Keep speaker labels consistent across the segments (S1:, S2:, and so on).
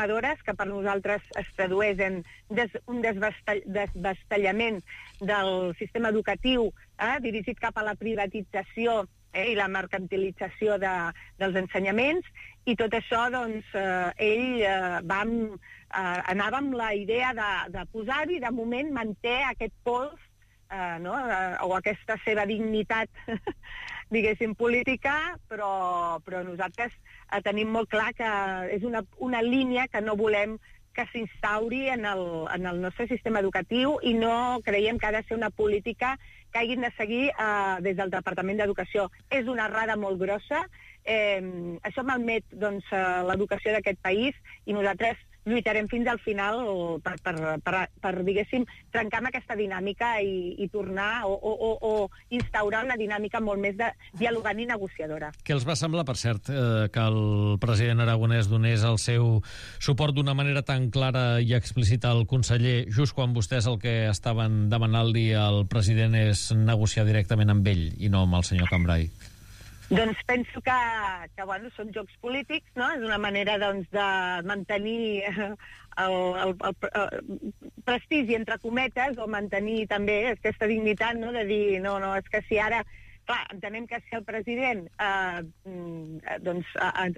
S1: transformadores, que per nosaltres es tradueix en un desvestellament del sistema educatiu dirigit cap a la privatització i la mercantilització dels ensenyaments, i tot això, doncs, anava amb la idea de posar-hi, de moment manté aquest pols, o aquesta seva dignitat, diguéssim, política, però nosaltres tenim molt clar que és una línia que no volem que s'instauri en el nostre sistema educatiu, i no creiem que ha de ser una política que hagin de seguir des del Departament d'Educació. És una errada molt grossa, això malmet l'educació d'aquest país, i nosaltres lluitarem fins al final per diguéssim, trencar amb aquesta dinàmica i tornar o instaurar una dinàmica molt més dialogant i negociadora.
S2: Què els va semblar, per cert, que el president aragonès donés el seu suport d'una manera tan clara i explícita al conseller, just quan vostès el que estaven demanant-li al president és negociar directament amb ell i no amb el senyor Cambray?
S1: Doncs penso que són jocs polítics, no? És una manera, doncs, de mantenir el prestigi, entre cometes, o mantenir també aquesta dignitat, no? De dir, no, és que si ara... Clar, entenem que si el president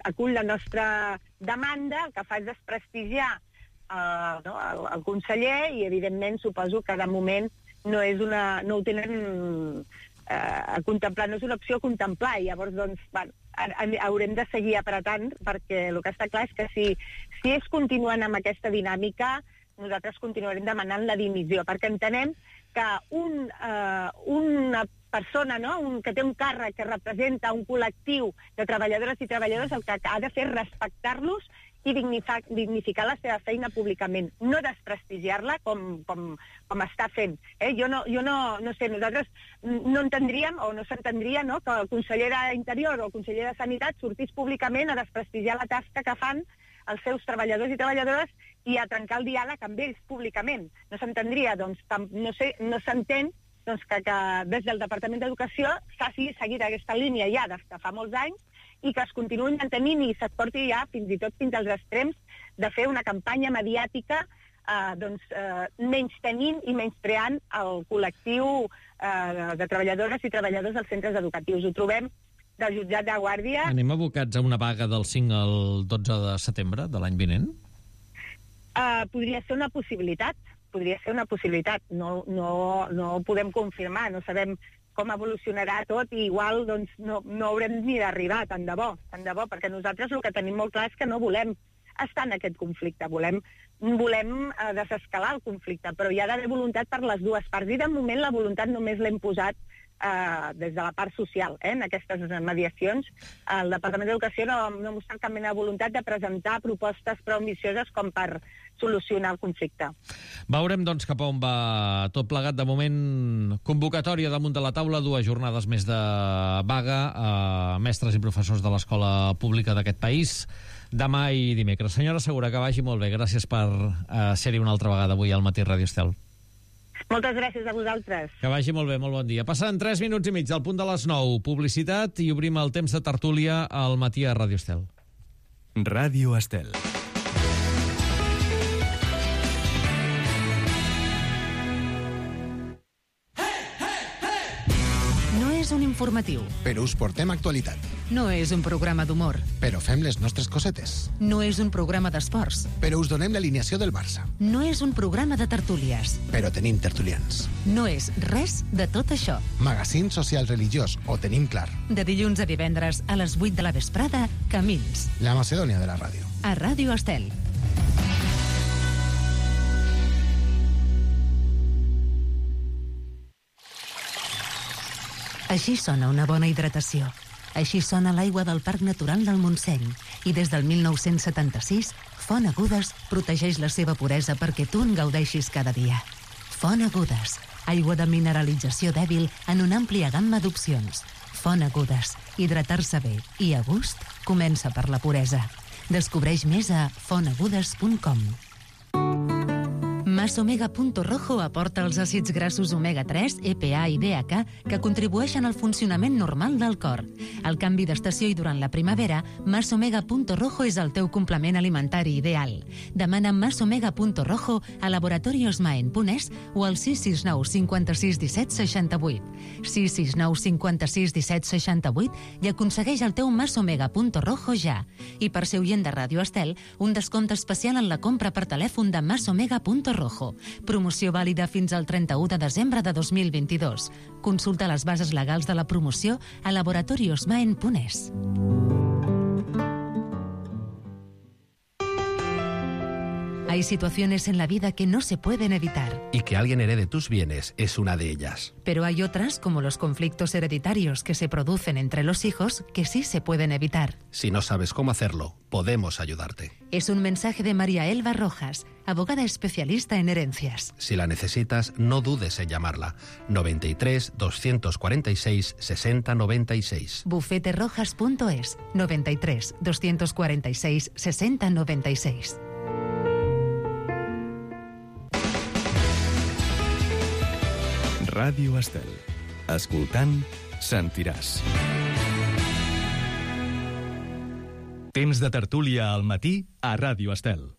S1: acull la nostra demanda, el que fa és desprestigiar el conseller, i evidentment suposo que de moment no ho tenen... a contemplar, no és una opció a contemplar, i llavors doncs, haurem de seguir apretant, perquè el que està clar és que si ells continuen amb aquesta dinàmica, nosaltres continuarem demanant la dimissió, perquè entenem que una persona, que té un càrrec que representa un col·lectiu de treballadores i treballadors, el que ha de fer és respectar-los i dignificar la seva feina públicament, no desprestigiar-la com està fent. Jo no sé, nosaltres no entendríem o no s'entendria que el conseller d'Interior o el conseller de Sanitat sortís públicament a desprestigiar la tasca que fan els seus treballadors i treballadores i a trencar el diàleg amb ells públicament. No s'entendria, doncs, no s'entén que des del Departament d'Educació s'hagi seguit aquesta línia ja des de fa molts anys, i que es continuïn mantenint i se't porti ja fins i tot fins als extrems de fer una campanya mediàtica menystenint i menyspreant el col·lectiu de treballadores i treballadors dels centres educatius. Ho trobem del jutjat de Guàrdia.
S2: Anem abocats a una vaga del 5 al 12 de setembre de l'any vinent?
S1: Podria ser una possibilitat. No ho podem confirmar, no sabem com evolucionarà tot, i igual no haurem ni d'arribar, tant de bo, perquè nosaltres el que tenim molt clar és que no volem estar en aquest conflicte, volem desescalar el conflicte, però hi ha d'haver voluntat per les dues parts, i de moment la voluntat només l'hem posat des de la part social, en aquestes mediacions. El Departament d'Educació no ha mostrat cap mena de voluntat de presentar propostes prou ambicioses com per solucionar el conflicte.
S2: Veurem, doncs, cap a on va tot plegat. De moment, convocatòria damunt de la taula, 2 jornades més de vaga a mestres i professors de l'escola pública d'aquest país, demà i dimecres. Senyora Segura, que vagi molt bé. Gràcies per ser-hi una altra vegada avui al Matí Ràdio Estel.
S1: Moltes gràcies a vosaltres.
S2: Que vagi molt bé, molt bon dia. Passant 3 minuts i mig del punt de les 9. Publicitat, i obrim el temps de tertúlia al Matí a Ràdio Estel.
S3: Ràdio Estel.
S4: No és un informatiu.
S5: Però us portem actualitat.
S4: No és un programa d'humor.
S5: Però fem les nostres cosetes.
S4: No és un programa d'esports.
S5: Però us donem l'alineació del Barça.
S4: No és un programa de tertúlies.
S5: Però tenim tertulians.
S4: No és res de tot això.
S5: Magazín social religiós, ho tenim clar.
S4: De dilluns a divendres a les 8 de la vesprada, Camins.
S5: La Macedònia de la ràdio.
S4: A Ràdio Estel. Així sona una bona hidratació. Així sona l'aigua del Parc Natural del Montseny. I des del 1976, Font Agudes protegeix la seva puresa perquè tu en gaudeixis cada dia. Font Agudes, aigua de mineralització dèbil en una àmplia gamma d'opcions. Font Agudes, hidratar-se bé i a gust comença per la puresa. Descobreix més a fontagudes.com. Masomega.rojo aporta els àcids grassos omega-3, EPA i DHA que contribueixen al funcionament normal del cor. Al canvi d'estació i durant la primavera, Masomega.rojo és el teu complement alimentari ideal. Demana Masomega.rojo a Laboratorios Maen.es o al 669 56 17 68. 669 56 17 68 i aconsegueix el teu Masomega.rojo ja. I per ser oient de Ràdio Estel, un descompte especial en la compra per telèfon de Masomega.rojo. Promoció vàlida fins al 31 de desembre de 2022. Consulta les bases legals de la promoció a laboratoriosmaen.es. Hay situaciones en la vida que no se pueden evitar.
S6: Y que alguien herede tus bienes es una de ellas.
S4: Pero hay otras, como los conflictos hereditarios que se producen entre los hijos, que sí se pueden evitar.
S6: Si no sabes cómo hacerlo, podemos ayudarte.
S4: Es un mensaje de María Elba Rojas, abogada especialista en herencias.
S6: Si la necesitas, no dudes en llamarla. 93 246 60 96.
S4: Bufeterojas.es 93 246 60 96.
S3: Ràdio Estel. Escoltant, sentiràs. Temps de tertúlia al matí a Ràdio Estel.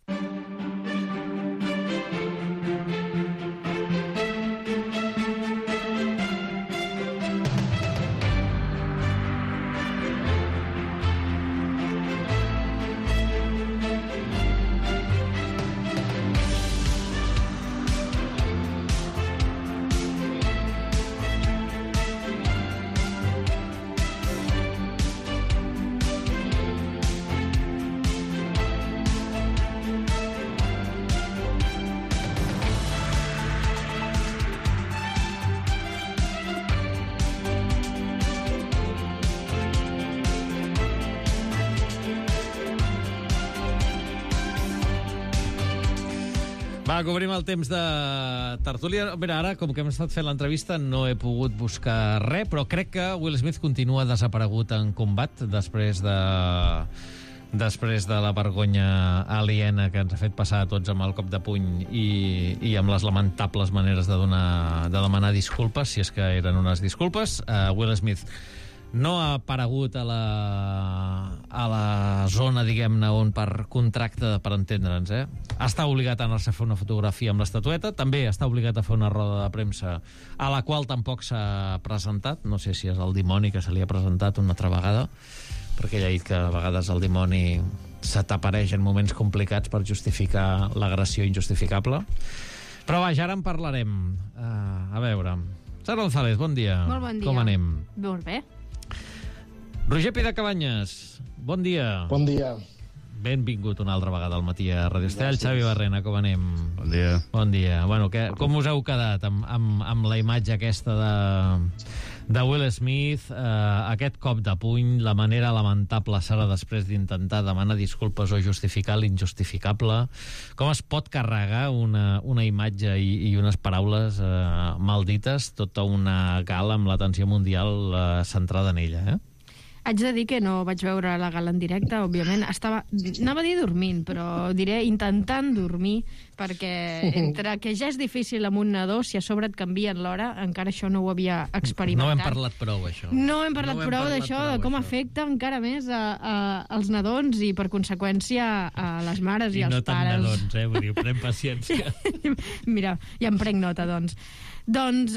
S2: Va, cobrim el temps de tertúlia. Mira, ara, com que hem estat fent l'entrevista, no he pogut buscar res, però crec que Will Smith continua desaparegut en combat després de la vergonya aliena que ens ha fet passar a tots amb el cop de puny i amb les lamentables maneres de demanar disculpes, si és que eren unes disculpes. Will Smith no ha aparegut a la zona, diguem-ne, on per contracte, per entendre'ns, està obligat a anar-se a fer una fotografia amb l'estatueta, també està obligat a fer una roda de premsa a la qual tampoc s'ha presentat, no sé si és el dimoni que se li ha presentat una altra vegada, perquè ell ha dit que a vegades el dimoni se t'apareix en moments complicats per justificar l'agressió injustificable. Però vaja, ara en parlarem. A veure, Sara González, bon dia.
S7: Molt bon dia.
S2: Com anem?
S7: Molt bé.
S2: Roger Pidecabanyes, bon dia.
S8: Bon dia.
S2: Benvingut una altra vegada al matí a Ràdio Estel. Xavi Barrena, com anem?
S9: Bon dia.
S2: Bon dia. Bueno, com us heu quedat amb la imatge aquesta de Will Smith, aquest cop de puny, la manera lamentable, Sara, després d'intentar demanar disculpes o justificar l'injustificable? Com es pot carregar una imatge i unes paraules maldites, tota una gala amb l'atenció mundial centrada en ella,
S7: Haig de dir que no vaig veure la gala en directe, òbviament. Anava a dir dormint, però diré intentant dormir, perquè entre que ja és difícil amb un nadó, si a sobre et canvien l'hora, encara això no ho havia experimentat.
S2: No hem parlat prou, això.
S7: No hem parlat prou d'això, de com afecta encara més als nadons i, per conseqüència, a les mares i als pares.
S2: I no tant nadons, vull dir, pren paciència.
S7: Mira, ja em prenc nota, doncs. Doncs,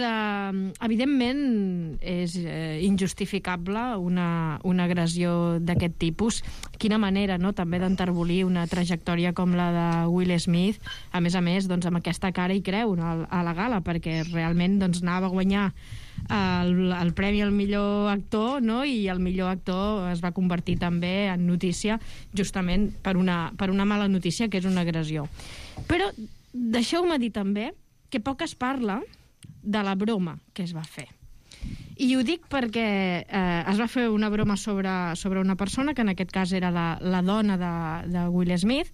S7: evidentment, és injustificable una agressió d'aquest tipus. Quina manera, no?, també d'enterbolir una trajectòria com la de Will Smith, a més, doncs, amb aquesta cara i creu, no?, a la gala, perquè realment doncs, anava a guanyar el premi al millor actor, no?, i el millor actor es va convertir també en notícia justament per una mala notícia, que és una agressió. Però deixeu-me dir també que poc es parla de la broma que es va fer. I ho dic perquè es va fer una broma sobre una persona, que en aquest cas era la dona de Will Smith,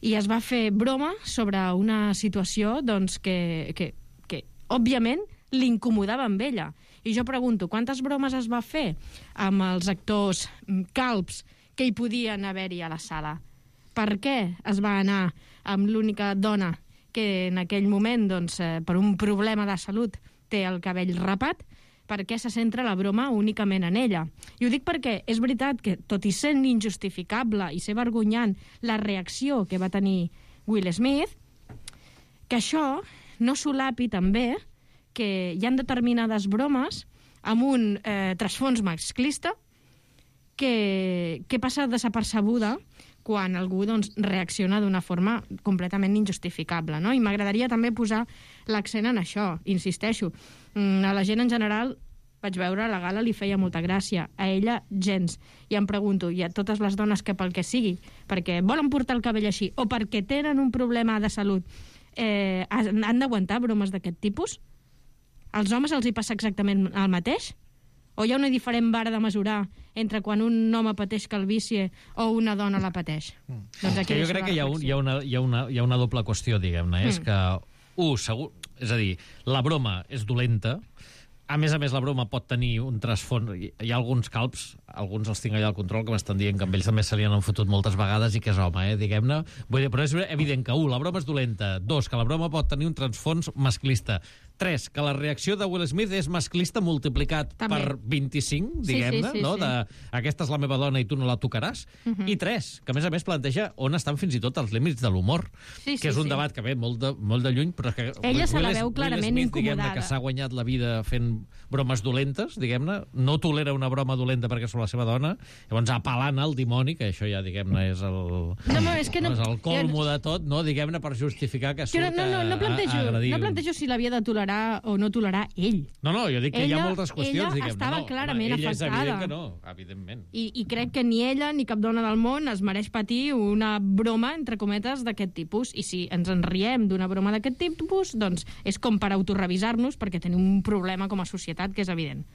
S7: i es va fer broma sobre una situació doncs, que òbviament l'incomodava amb ella. I jo pregunto, quantes bromes es va fer amb els actors calbs que hi podien haver-hi a la sala? Per què es va anar amb l'única dona que en aquell moment, doncs, per un problema de salut, té el cabell rapat, perquè se centra la broma únicament en ella. I ho dic perquè és veritat que, tot i sent injustificable i ser vergonyant la reacció que va tenir Will Smith, que això no solapi també que hi ha determinades bromes amb un trasfons masclista que passa desapercebuda quan algú doncs, reacciona d'una forma completament injustificable. No? I m'agradaria també posar l'accent en això, insisteixo. A la gent en general, vaig veure, la gala li feia molta gràcia. A ella, gens. I em pregunto, i a totes les dones que pel que sigui, perquè volen portar el cabell així o perquè tenen un problema de salut, han d'aguantar bromes d'aquest tipus? Als homes els hi passa exactament el mateix? O hi ha una diferent vara de mesurar entre quan un home pateix calvície o una dona la pateix? Doncs aquí
S2: jo crec que hi ha una doble qüestió, diguem-ne. És que, segur, és a dir, la broma és dolenta. A més, la broma pot tenir un trasfons. Hi ha alguns calbs, alguns els tinc allà al control, que m'estan dient que amb ells també se li han fotut moltes vegades i que és home, diguem-ne. Però és evident que, la broma és dolenta. 2, que la broma pot tenir un trasfons masclista. 3, que la reacció de Will Smith és masclista multiplicat també per 25, diguem-ne, no? Aquesta és la meva dona i tu no la tocaràs. I 3, que a més planteja on estan fins i tot els límits de l'humor, que és un debat que ve molt de lluny, però que
S7: ella se la veu clarament
S2: Will Smith,
S7: incomodada.
S2: Que s'ha guanyat la vida fent bromes dolentes, diguem-ne, no tolera una broma dolenta perquè són la seva dona, llavors apel·lant al dimoni, que això ja, diguem-ne, és el colmo de tot, no? Diguem-ne, per justificar que surt
S7: no plantejo si l'havia de tolerar o no tolerar ell.
S2: No, jo dic que hi ha moltes qüestions, diguem-ne.
S7: Ella estava clarament afectada.
S2: Ella és evident que no, evidentment.
S7: I crec que ni ella ni cap dona del món es mereix patir una broma, entre cometes, d'aquest tipus. I si ens en riem d'una broma d'aquest tipus, doncs és com per autorrevisar-nos, perquè tenim un problema com a societat que és evident.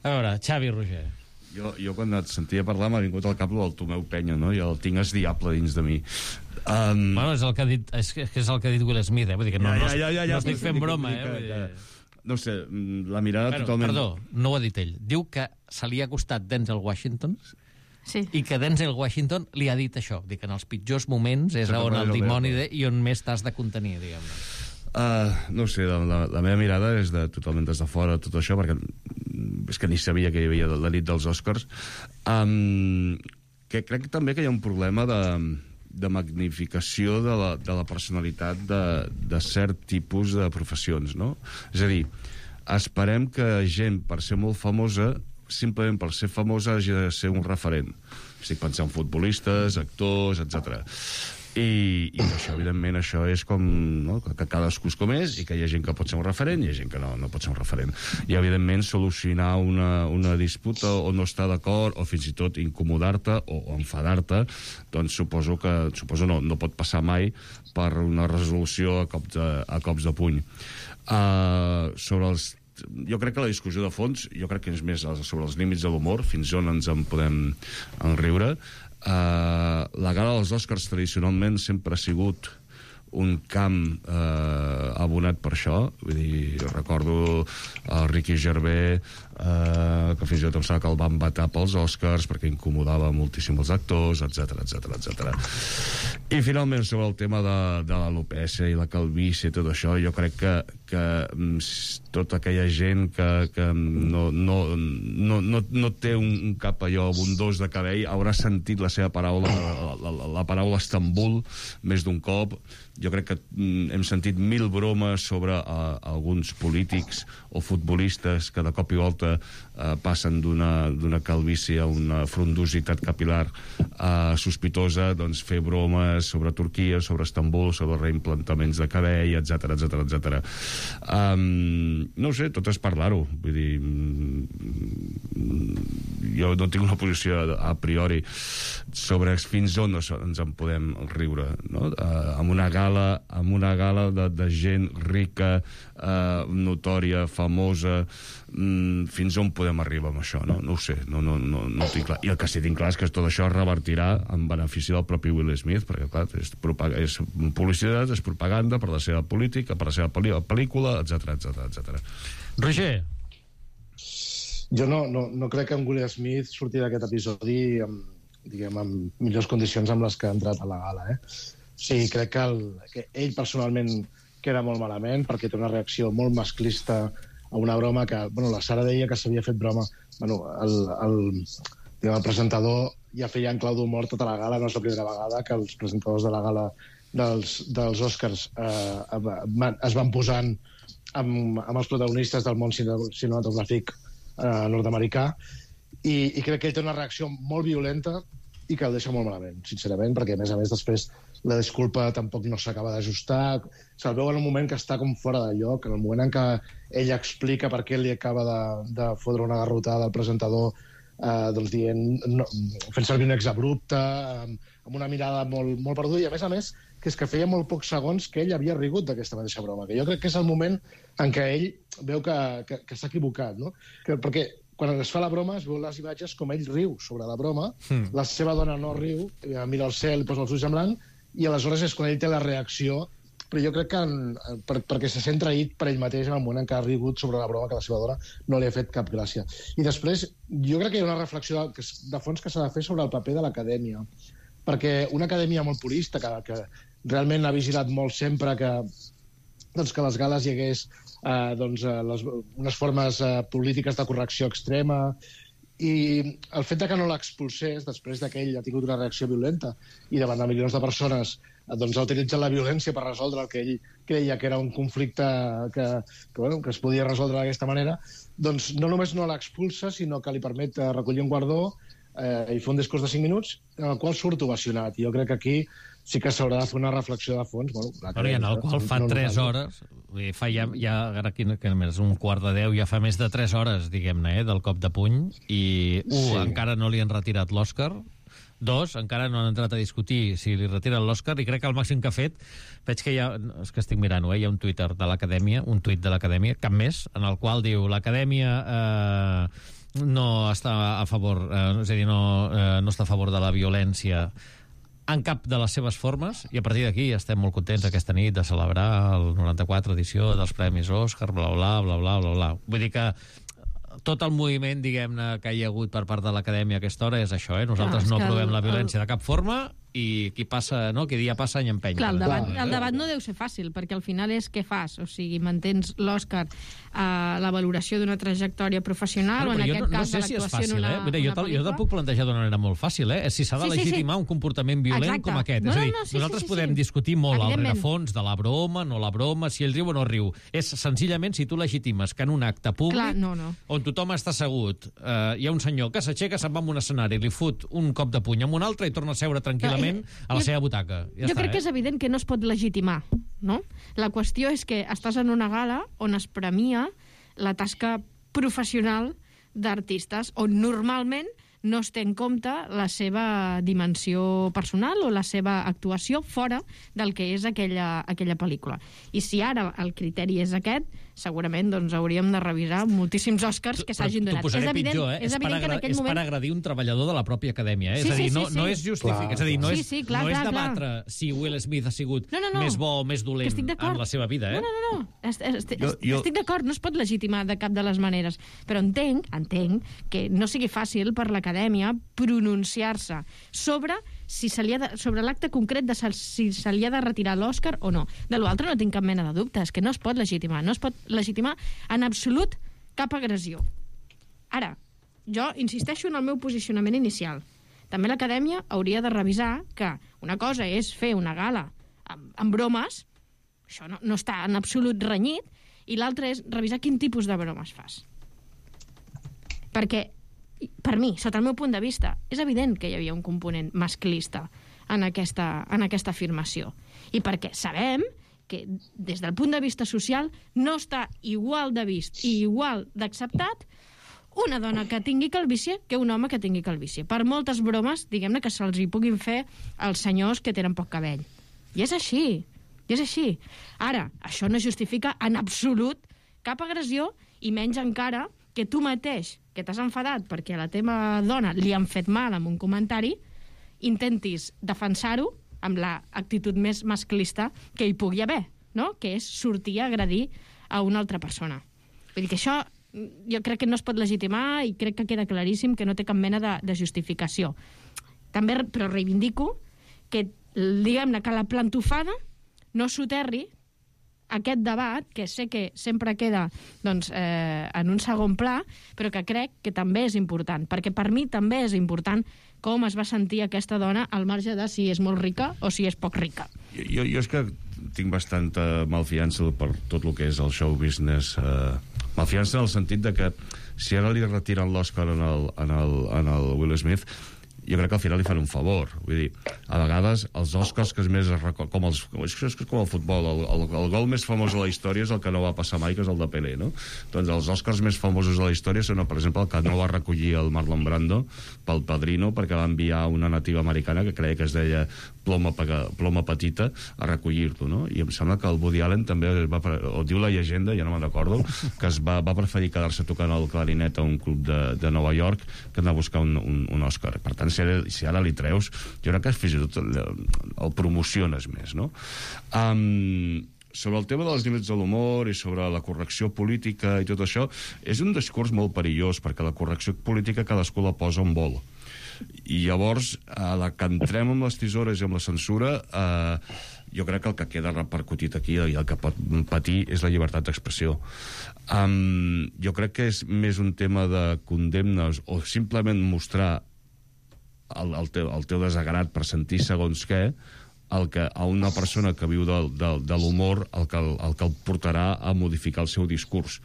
S2: A veure, Xavi, Roger.
S8: Jo quan et sentia parlar m'ha vingut al cap del Tomeu Penya, no? Jo el tinc esdiable dins de mi.
S2: Bueno, és el que ha dit, és el que ha dit Will Smith, vull dir que no estic fent broma,
S8: No sé, la mirada totalment...
S2: Perdó, no ho ha dit ell. Diu que se li ha costat Denzel Washington i que Denzel Washington li ha dit això, que en els pitjors moments és on el dimoni i on més t'has de contenir, diguem-ne.
S8: No sé, la meva mirada és totalment des de fora tot això, perquè és que ni sabia que hi havia la nit dels Oscars. Que crec també que hi ha un problema de magnificació de la personalitat de cert tipus de professions, no? És a dir, esperem que gent, per ser molt famosa, simplement per ser famosa hagi de ser un referent. Estic pensant en futbolistes, actors, etc. I això, evidentment, això és com, no? Que cadascú és com és i que hi ha gent que pot ser un referent i hi ha gent que no pot ser un referent. I, evidentment, solucionar una disputa o no estar d'acord o fins i tot incomodar-te o enfadar-te, doncs suposo no pot passar mai per una resolució a cops de puny. Jo crec que la discussió de fons, jo crec que és més sobre els límits de l'humor, fins on ens en podem enriure. La gala dels Oscars tradicionalment sempre ha sigut un camp abonat per això. Vull dir, recordo el Ricky Gervais, que fins i tot em sembla que el van vetar pels Oscars perquè incomodava moltíssim els actors, etc. I finalment, sobre el tema de l'alopecia i la calvície i tot això, jo crec que tota aquella gent que no té un cap allò abundós de cabell haurà sentit la seva paraula, la paraula Estambul, més d'un cop. Jo crec que hem sentit 1000 bromes sobre alguns polítics o futbolistes que de cop i volta passen d'una calvície a una frondositat capil·lar sospitosa, doncs fer bromes sobre Turquia, sobre Estambul, sobre reimplantaments de cabell, etc. No ho sé, tot és parlar-ho. Vull dir, jo no tinc una posició a priori sobre fins on ens en podem riure, no? Amb una gala de gent rica, notòria, famosa, fins on podem arribar amb això, no? No ho sé, no ho tinc clar. I el que sí tinc clar és que tot això revertirà en benefici del propi Will Smith, perquè clar, és publicitat, és propaganda per la seva política, per la seva pel·lícula, etc.
S2: Roger.
S9: Jo no crec que en Will Smith surti d'aquest episodi amb millors condicions amb les que ha entrat a la gala, Sí, crec que ell personalment queda molt malament perquè té una reacció molt masclista a una broma que... la Sara deia que s'havia fet broma. El presentador ja feia en clau d'humor tota la gala, no és la primera vegada que els presentadors de la gala dels Oscars es van posant amb els protagonistes del món cinematogràfic nord-americà, i crec que ell té una reacció molt violenta i que el deixa molt malament, sincerament, perquè, a més, després, la disculpa tampoc no s'acaba d'ajustar. Se'l veu en un moment que està com fora de lloc, en el moment en què ell explica per què li acaba de fotre una garrotada al presentador, fent servir un exabrupte, amb una mirada molt perduda, i, a més, que és que feia molt pocs segons que ell havia rigut d'aquesta mateixa broma, que jo crec que és el moment en què ell veu que s'ha equivocat, no? Perquè quan es fa la broma es veu les imatges com ell riu sobre la broma, la seva dona no riu, mira el cel, posa els ulls en blanc, i aleshores és quan ell té la reacció, però jo crec que perquè se sent traït per ell mateix en el moment en què ha rigut sobre la broma que la seva dona no li ha fet cap gràcia. I després, jo crec que hi ha una reflexió de fons que s'ha de fer sobre el paper de l'acadèmia, perquè una acadèmia molt purista, que realment ha vigilat molt sempre que les gales hi hagués unes formes polítiques de correcció extrema, i el fet que no l'expulsés després que ell ha tingut una reacció violenta i davant de milions de persones ha utilitzat la violència per resoldre el que ell creia que era un conflicte que es podia resoldre d'aquesta manera, doncs no només no l'expulsa, sinó que li permet recollir un guardó i fer un discurs de 5 minuts en el qual surt ovacionat. I jo crec que aquí sí que s'haurà de fer una reflexió de fons.
S2: I en el qual fa 3 hores, fa ja ara que és 9:45, ja fa més de 3 hores, diguem-ne, del cop de puny, i encara no li han retirat l'Òscar, 2, encara no han entrat a discutir si li retiren l'Òscar, i crec que el màxim que ha fet, veig que és que estic mirant-ho, hi ha un Twitter de l'Acadèmia, un tuit de l'Acadèmia, cap més, en el qual diu l'Acadèmia no està a favor, és a dir, no està a favor de la violència en cap de les seves formes, i a partir d'aquí estem molt contents aquesta nit de celebrar el 94 edició dels Premis Òscar, bla, bla, bla, bla, bla, bla. Vull dir que tot el moviment, diguem-ne, que hi ha hagut per part de l'Acadèmia a aquesta hora és això, Nosaltres no aprovem la violència de cap forma, i qui dia passa any empeny.
S7: Clar, el debat no deu ser fàcil, perquè al final és què fas, o sigui, mantens l'Òscar a la valoració d'una trajectòria professional, o en aquest cas de l'actuació en una pel·lícula.
S2: Jo te'l puc plantejar d'una manera molt fàcil, si s'ha de legitimar un comportament violent com aquest. És a dir, nosaltres podem discutir molt al rerefons de la broma, no la broma, si ell riu o no riu. És senzillament si tu legitimes que en un acte públic, on tothom està assegut, hi ha un senyor que s'aixeca, se'n va a un escenari, li fot un cop de puny amb un altre i torna a seure tranquil·lament a la seva butaca.
S7: Jo crec que és evident que no es pot legitimar, no? La qüestió és que estàs en una gala on es premia la tasca professional d'artistes, on normalment no es té en compte la seva dimensió personal o la seva actuació fora del que és aquella pel·lícula. I si ara el criteri és aquest, segurament hauríem de revisar moltíssims Òscars que s'hagin donat.
S2: T'ho posaré pitjor, és per agredir un treballador de la pròpia acadèmia. És a dir, no és justificat, és a dir, no és debatre si Will Smith ha sigut més bo o més dolent en la seva vida.
S7: No. Estic d'acord, no es pot legitimar de cap de les maneres, però entenc que no sigui fàcil per l'acadèmia pronunciar-se sobre l'acte concret de si se li ha de retirar l'Òscar o no. De l'altre no tinc cap mena de dubte, és que no es pot legitimar, no es pot legitimar en absolut cap agressió. Ara, jo insisteixo en el meu posicionament inicial. També l'acadèmia hauria de revisar que una cosa és fer una gala amb bromes, això no està en absolut renyit, i l'altra és revisar quin tipus de bromes fas. Perquè per mi, sota el meu punt de vista, és evident que hi havia un component masclista en aquesta afirmació. I perquè sabem que des del punt de vista social no està igual de vist i igual d'acceptat una dona que tingui calvície que un home que tingui calvície. Per moltes bromes, diguem-ne, que se'ls hi puguin fer als senyors que tenen poc cabell. I és així. Ara, això no justifica en absolut cap agressió, i menys encara que tu mateix, que t'has enfadat perquè a la teva dona li han fet mal amb un comentari, intentis defensar-ho amb l'actitud més masclista que hi pugui haver, no? Que és sortir a agredir a una altra persona. Vull dir que això jo crec que no es pot legitimar i crec que queda claríssim que no té cap mena de justificació. També, però reivindico que diguem-ne que la plantofada no soterri aquest debat, que sé que sempre queda doncs, en un segon pla, però que crec que també és important, perquè per mi també és important com es va sentir aquesta dona al marge de si és molt rica o si és poc rica.
S8: Jo és que tinc bastanta malfiança per tot el que és el show business. Malfiança en el sentit de que si ara li retiren l'Oscar en el Will Smith, jo crec que al final li fan un favor. Vull dir, a vegades els Oscars que més es recorda, com el futbol, el gol més famós de la història és el que no va passar mai, que és el de Pelé, no? Doncs els Oscars més famosos de la història són, per exemple, el que no va recollir el Marlon Brando pel Padrino, perquè va enviar una nativa americana que creia que es deia Ploma Petita a recollir-lo, no? I em sembla que el Woody Allen també o diu la llegenda, ja no me'n recordo, que va preferir quedar-se tocant el clarinet a un club de Nova York que anar a buscar un Oscar. Per tant, si ara li treus, jo crec que fins i tot el promociones més, no? Sobre el tema dels límits de l'humor i sobre la correcció política i tot això, és un discurs molt perillós, perquè la correcció política cadascú la posa on vol. I llavors, a la que entrem amb les tisores i amb la censura, jo crec que el que queda repercutit aquí i el que pot patir és la llibertat d'expressió. Jo crec que és més un tema de condemnes o simplement mostrar el teu desagrat per sentir segons què, a una persona que viu de l'humor el que el portarà a modificar el seu discurs.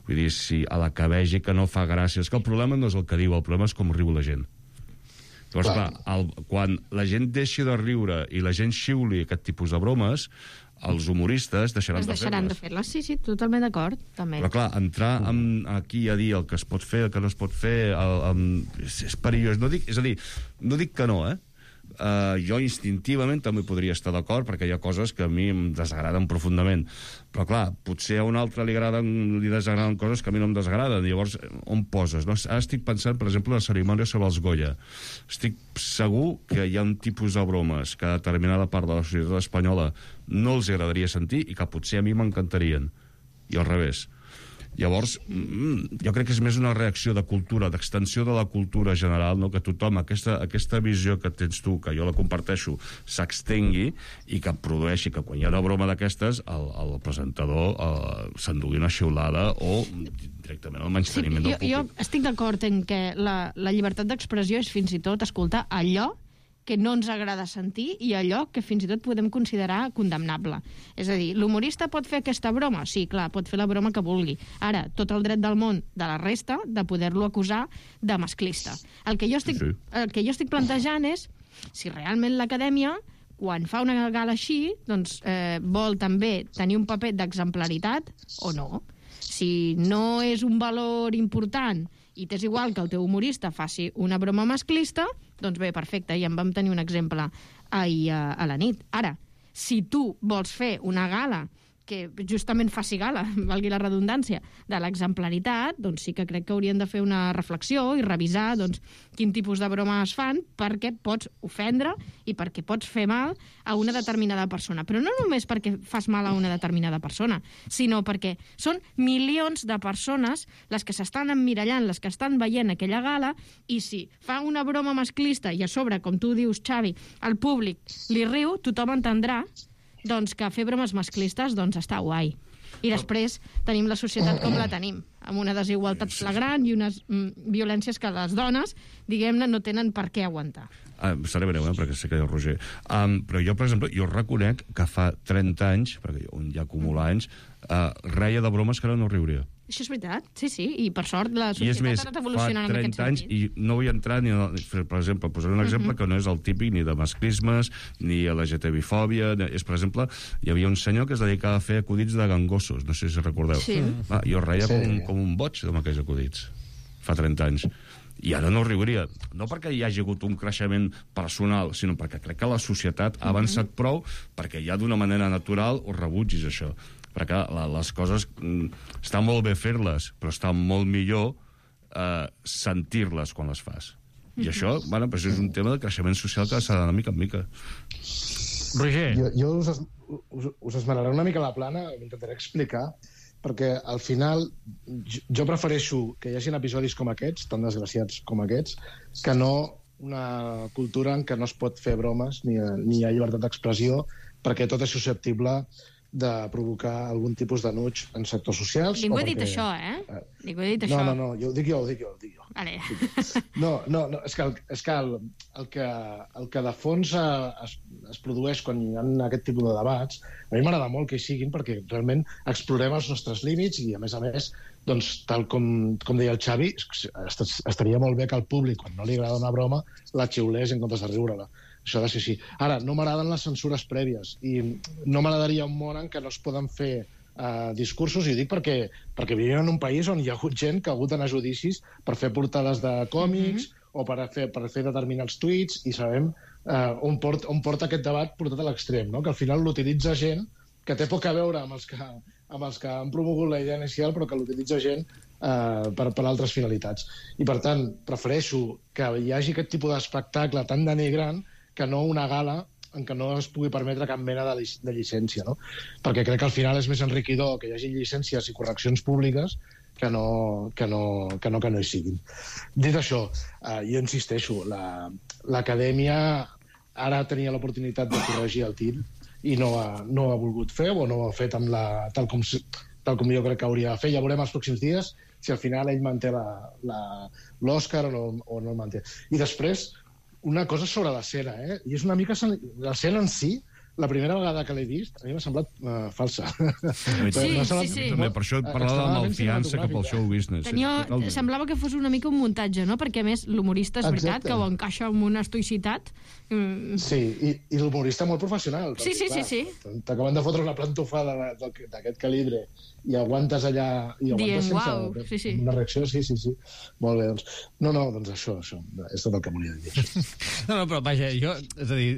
S8: Vull dir, si a la que vegi que no fa gràcia... És que el problema no és el que diu, el problema és com riu la gent. Llavors, clar, quan la gent deixi de riure i la gent xiuli aquest tipus de bromes, els humoristes deixaran de fer-les.
S7: Sí, totalment d'acord, també.
S8: Però clar, entrar aquí a dir el que es pot fer, el que no es pot fer, és perillós. És a dir, no dic que no, jo instintivament també podria estar d'acord, perquè hi ha coses que a mi em desagraden profundament. Però clar, potser a un altre li desagraden coses que a mi no em desagraden. Llavors, on poses? No? Ara estic pensant, per exemple, en la cerimònia sobre els Goya. Estic segur que hi ha un tipus de bromes que a determinada part de la societat espanyola no els agradaria sentir i que potser a mi m'encantarien. I al revés. Llavors, jo crec que és més una reacció de cultura, d'extensió de la cultura general, no? Que tothom, aquesta visió que tens tu, que jo la comparteixo, s'extengui i que produeixi que quan hi ha una broma d'aquestes el presentador s'endugui una xiulada o directament el menysteniment del públic.
S7: Jo estic d'acord en que la llibertat d'expressió és fins i tot escoltar allò que no ens agrada sentir i allò que fins i tot podem considerar condemnable. És a dir, l'humorista pot fer aquesta broma? Sí, clar, pot fer la broma que vulgui. Ara, tot el dret del món de la resta de poder-lo acusar de masclista. El que jo estic plantejant és si realment l'acadèmia, quan fa una gala així, doncs vol també tenir un paper d'exemplaritat o no. Si no és un valor important i t'és igual que el teu humorista faci una broma masclista, doncs bé, perfecte, ja en vam tenir un exemple ahir a la nit. Ara, si tu vols fer una gala que justament faci gala, valgui la redundància, de l'exemplaritat, doncs sí que crec que haurien de fer una reflexió i revisar doncs, quin tipus de broma es fan perquè pots ofendre i perquè pots fer mal a una determinada persona. Però no només perquè fas mal a una determinada persona, sinó perquè són milions de persones les que s'estan emmirallant, les que estan veient aquella gala, i si fa una broma masclista i a sobre, com tu dius, Xavi, el públic li riu, tothom entendrà doncs que fer bromes masclistes doncs està guai. I després tenim la societat com la tenim, amb una desigualtat flagrant i unes violències que les dones, diguem-ne, no tenen per què aguantar.
S8: Seré breu, perquè sé que hi ha el Roger. Però jo, per exemple, jo reconec que fa 30 anys, perquè jo ja acumulo anys, reia de bromes que ara no riuria.
S7: Això és veritat, sí, i per sort la societat ha anat evolucionant en aquest sentit.
S8: I és més, fa 30 anys, i no vull entrar ni, per exemple, posaré un exemple que no és el típic ni de masclismes, ni a la LGTB-fòbia, és, per exemple, hi havia un senyor que es dedicava a fer acudits de gangossos, no sé si recordeu.
S7: Sí.
S8: Jo reia com un boig amb aquells acudits, fa 30 anys. I ara no riuria, no perquè hi hagi hagut un creixement personal, sinó perquè crec que la societat ha avançat prou perquè ja d'una manera natural ho rebutgis, això. Perquè les coses estan molt bé fer-les, però està molt millor sentir-les quan les fas. I això, bueno, pues és un tema de creixement social que s'ha d'anar mica en mica.
S2: Roger.
S9: Jo us esmeraré una mica la plana, m'intentaré explicar, perquè al final jo prefereixo que hi hagi episodis com aquests, tan desgraciats com aquests, que no una cultura en què no es pot fer bromes ni hi ha llibertat d'expressió, perquè tot és susceptible de provocar algun tipus d'anuig en sectors socials.
S7: Ningú ha dit això, Ningú ha dit això.
S9: No, ho dic jo.
S7: Vale.
S9: No, és que el que de fons es produeix quan hi ha aquest tipus de debats, a mi m'agrada molt que hi siguin, perquè realment explorem els nostres límits i, a més, doncs, tal com deia el Xavi, estaria molt bé que el públic, quan no li agrada una broma, la xiulés en comptes de riure-la. Això ha de ser així. Ara, no m'agraden les censures prèvies i no m'agradaria un món en què no es poden fer discursos, i ho dic perquè vivim en un país on hi ha hagut gent que ha hagut d'anar a judicis per fer portades de còmics o per fer determinats tuits, i sabem on porta aquest debat portat a l'extrem, no? Que al final l'utilitza gent que té poc a veure amb els que han promogut la idea inicial, però que l'utilitza gent per altres finalitats. I, per tant, prefereixo que hi hagi aquest tipus d'espectacle tan denigrant que no una gala en què no es pugui permetre cap mena de llicència, no? Perquè crec que al final és més enriquidor que hi hagi llicències i correccions públiques que no hi siguin. Dit això, jo insisteixo, l'acadèmia ara tenia l'oportunitat de corregir el tir i no ha volgut fer, o no ho ha fet tal com jo crec que hauria de fer. Ja veurem els pròxims dies si al final ell manté l'Òscar o no el manté. I després, una cosa sobre l'escena, i és una mica... L'escena en si, la primera vegada que l'he vist, a mi m'ha semblat falsa.
S7: Sí.
S8: Per això et parlava de malfiança cap al show business.
S7: Semblava que fos una mica un muntatge, no? Perquè, a més, l'humorista és veritat que ho encaixa amb una estoïcitat.
S9: Sí, i l'humorista molt professional.
S7: Sí.
S9: T'acaben de fotre una plantofada d'aquest calibre i aguantes allà...
S7: Dient, uau, sí.
S9: Una reacció, sí. Molt bé, doncs... No, doncs això. És tot el que volia dir.
S2: No, però vaja, és a dir...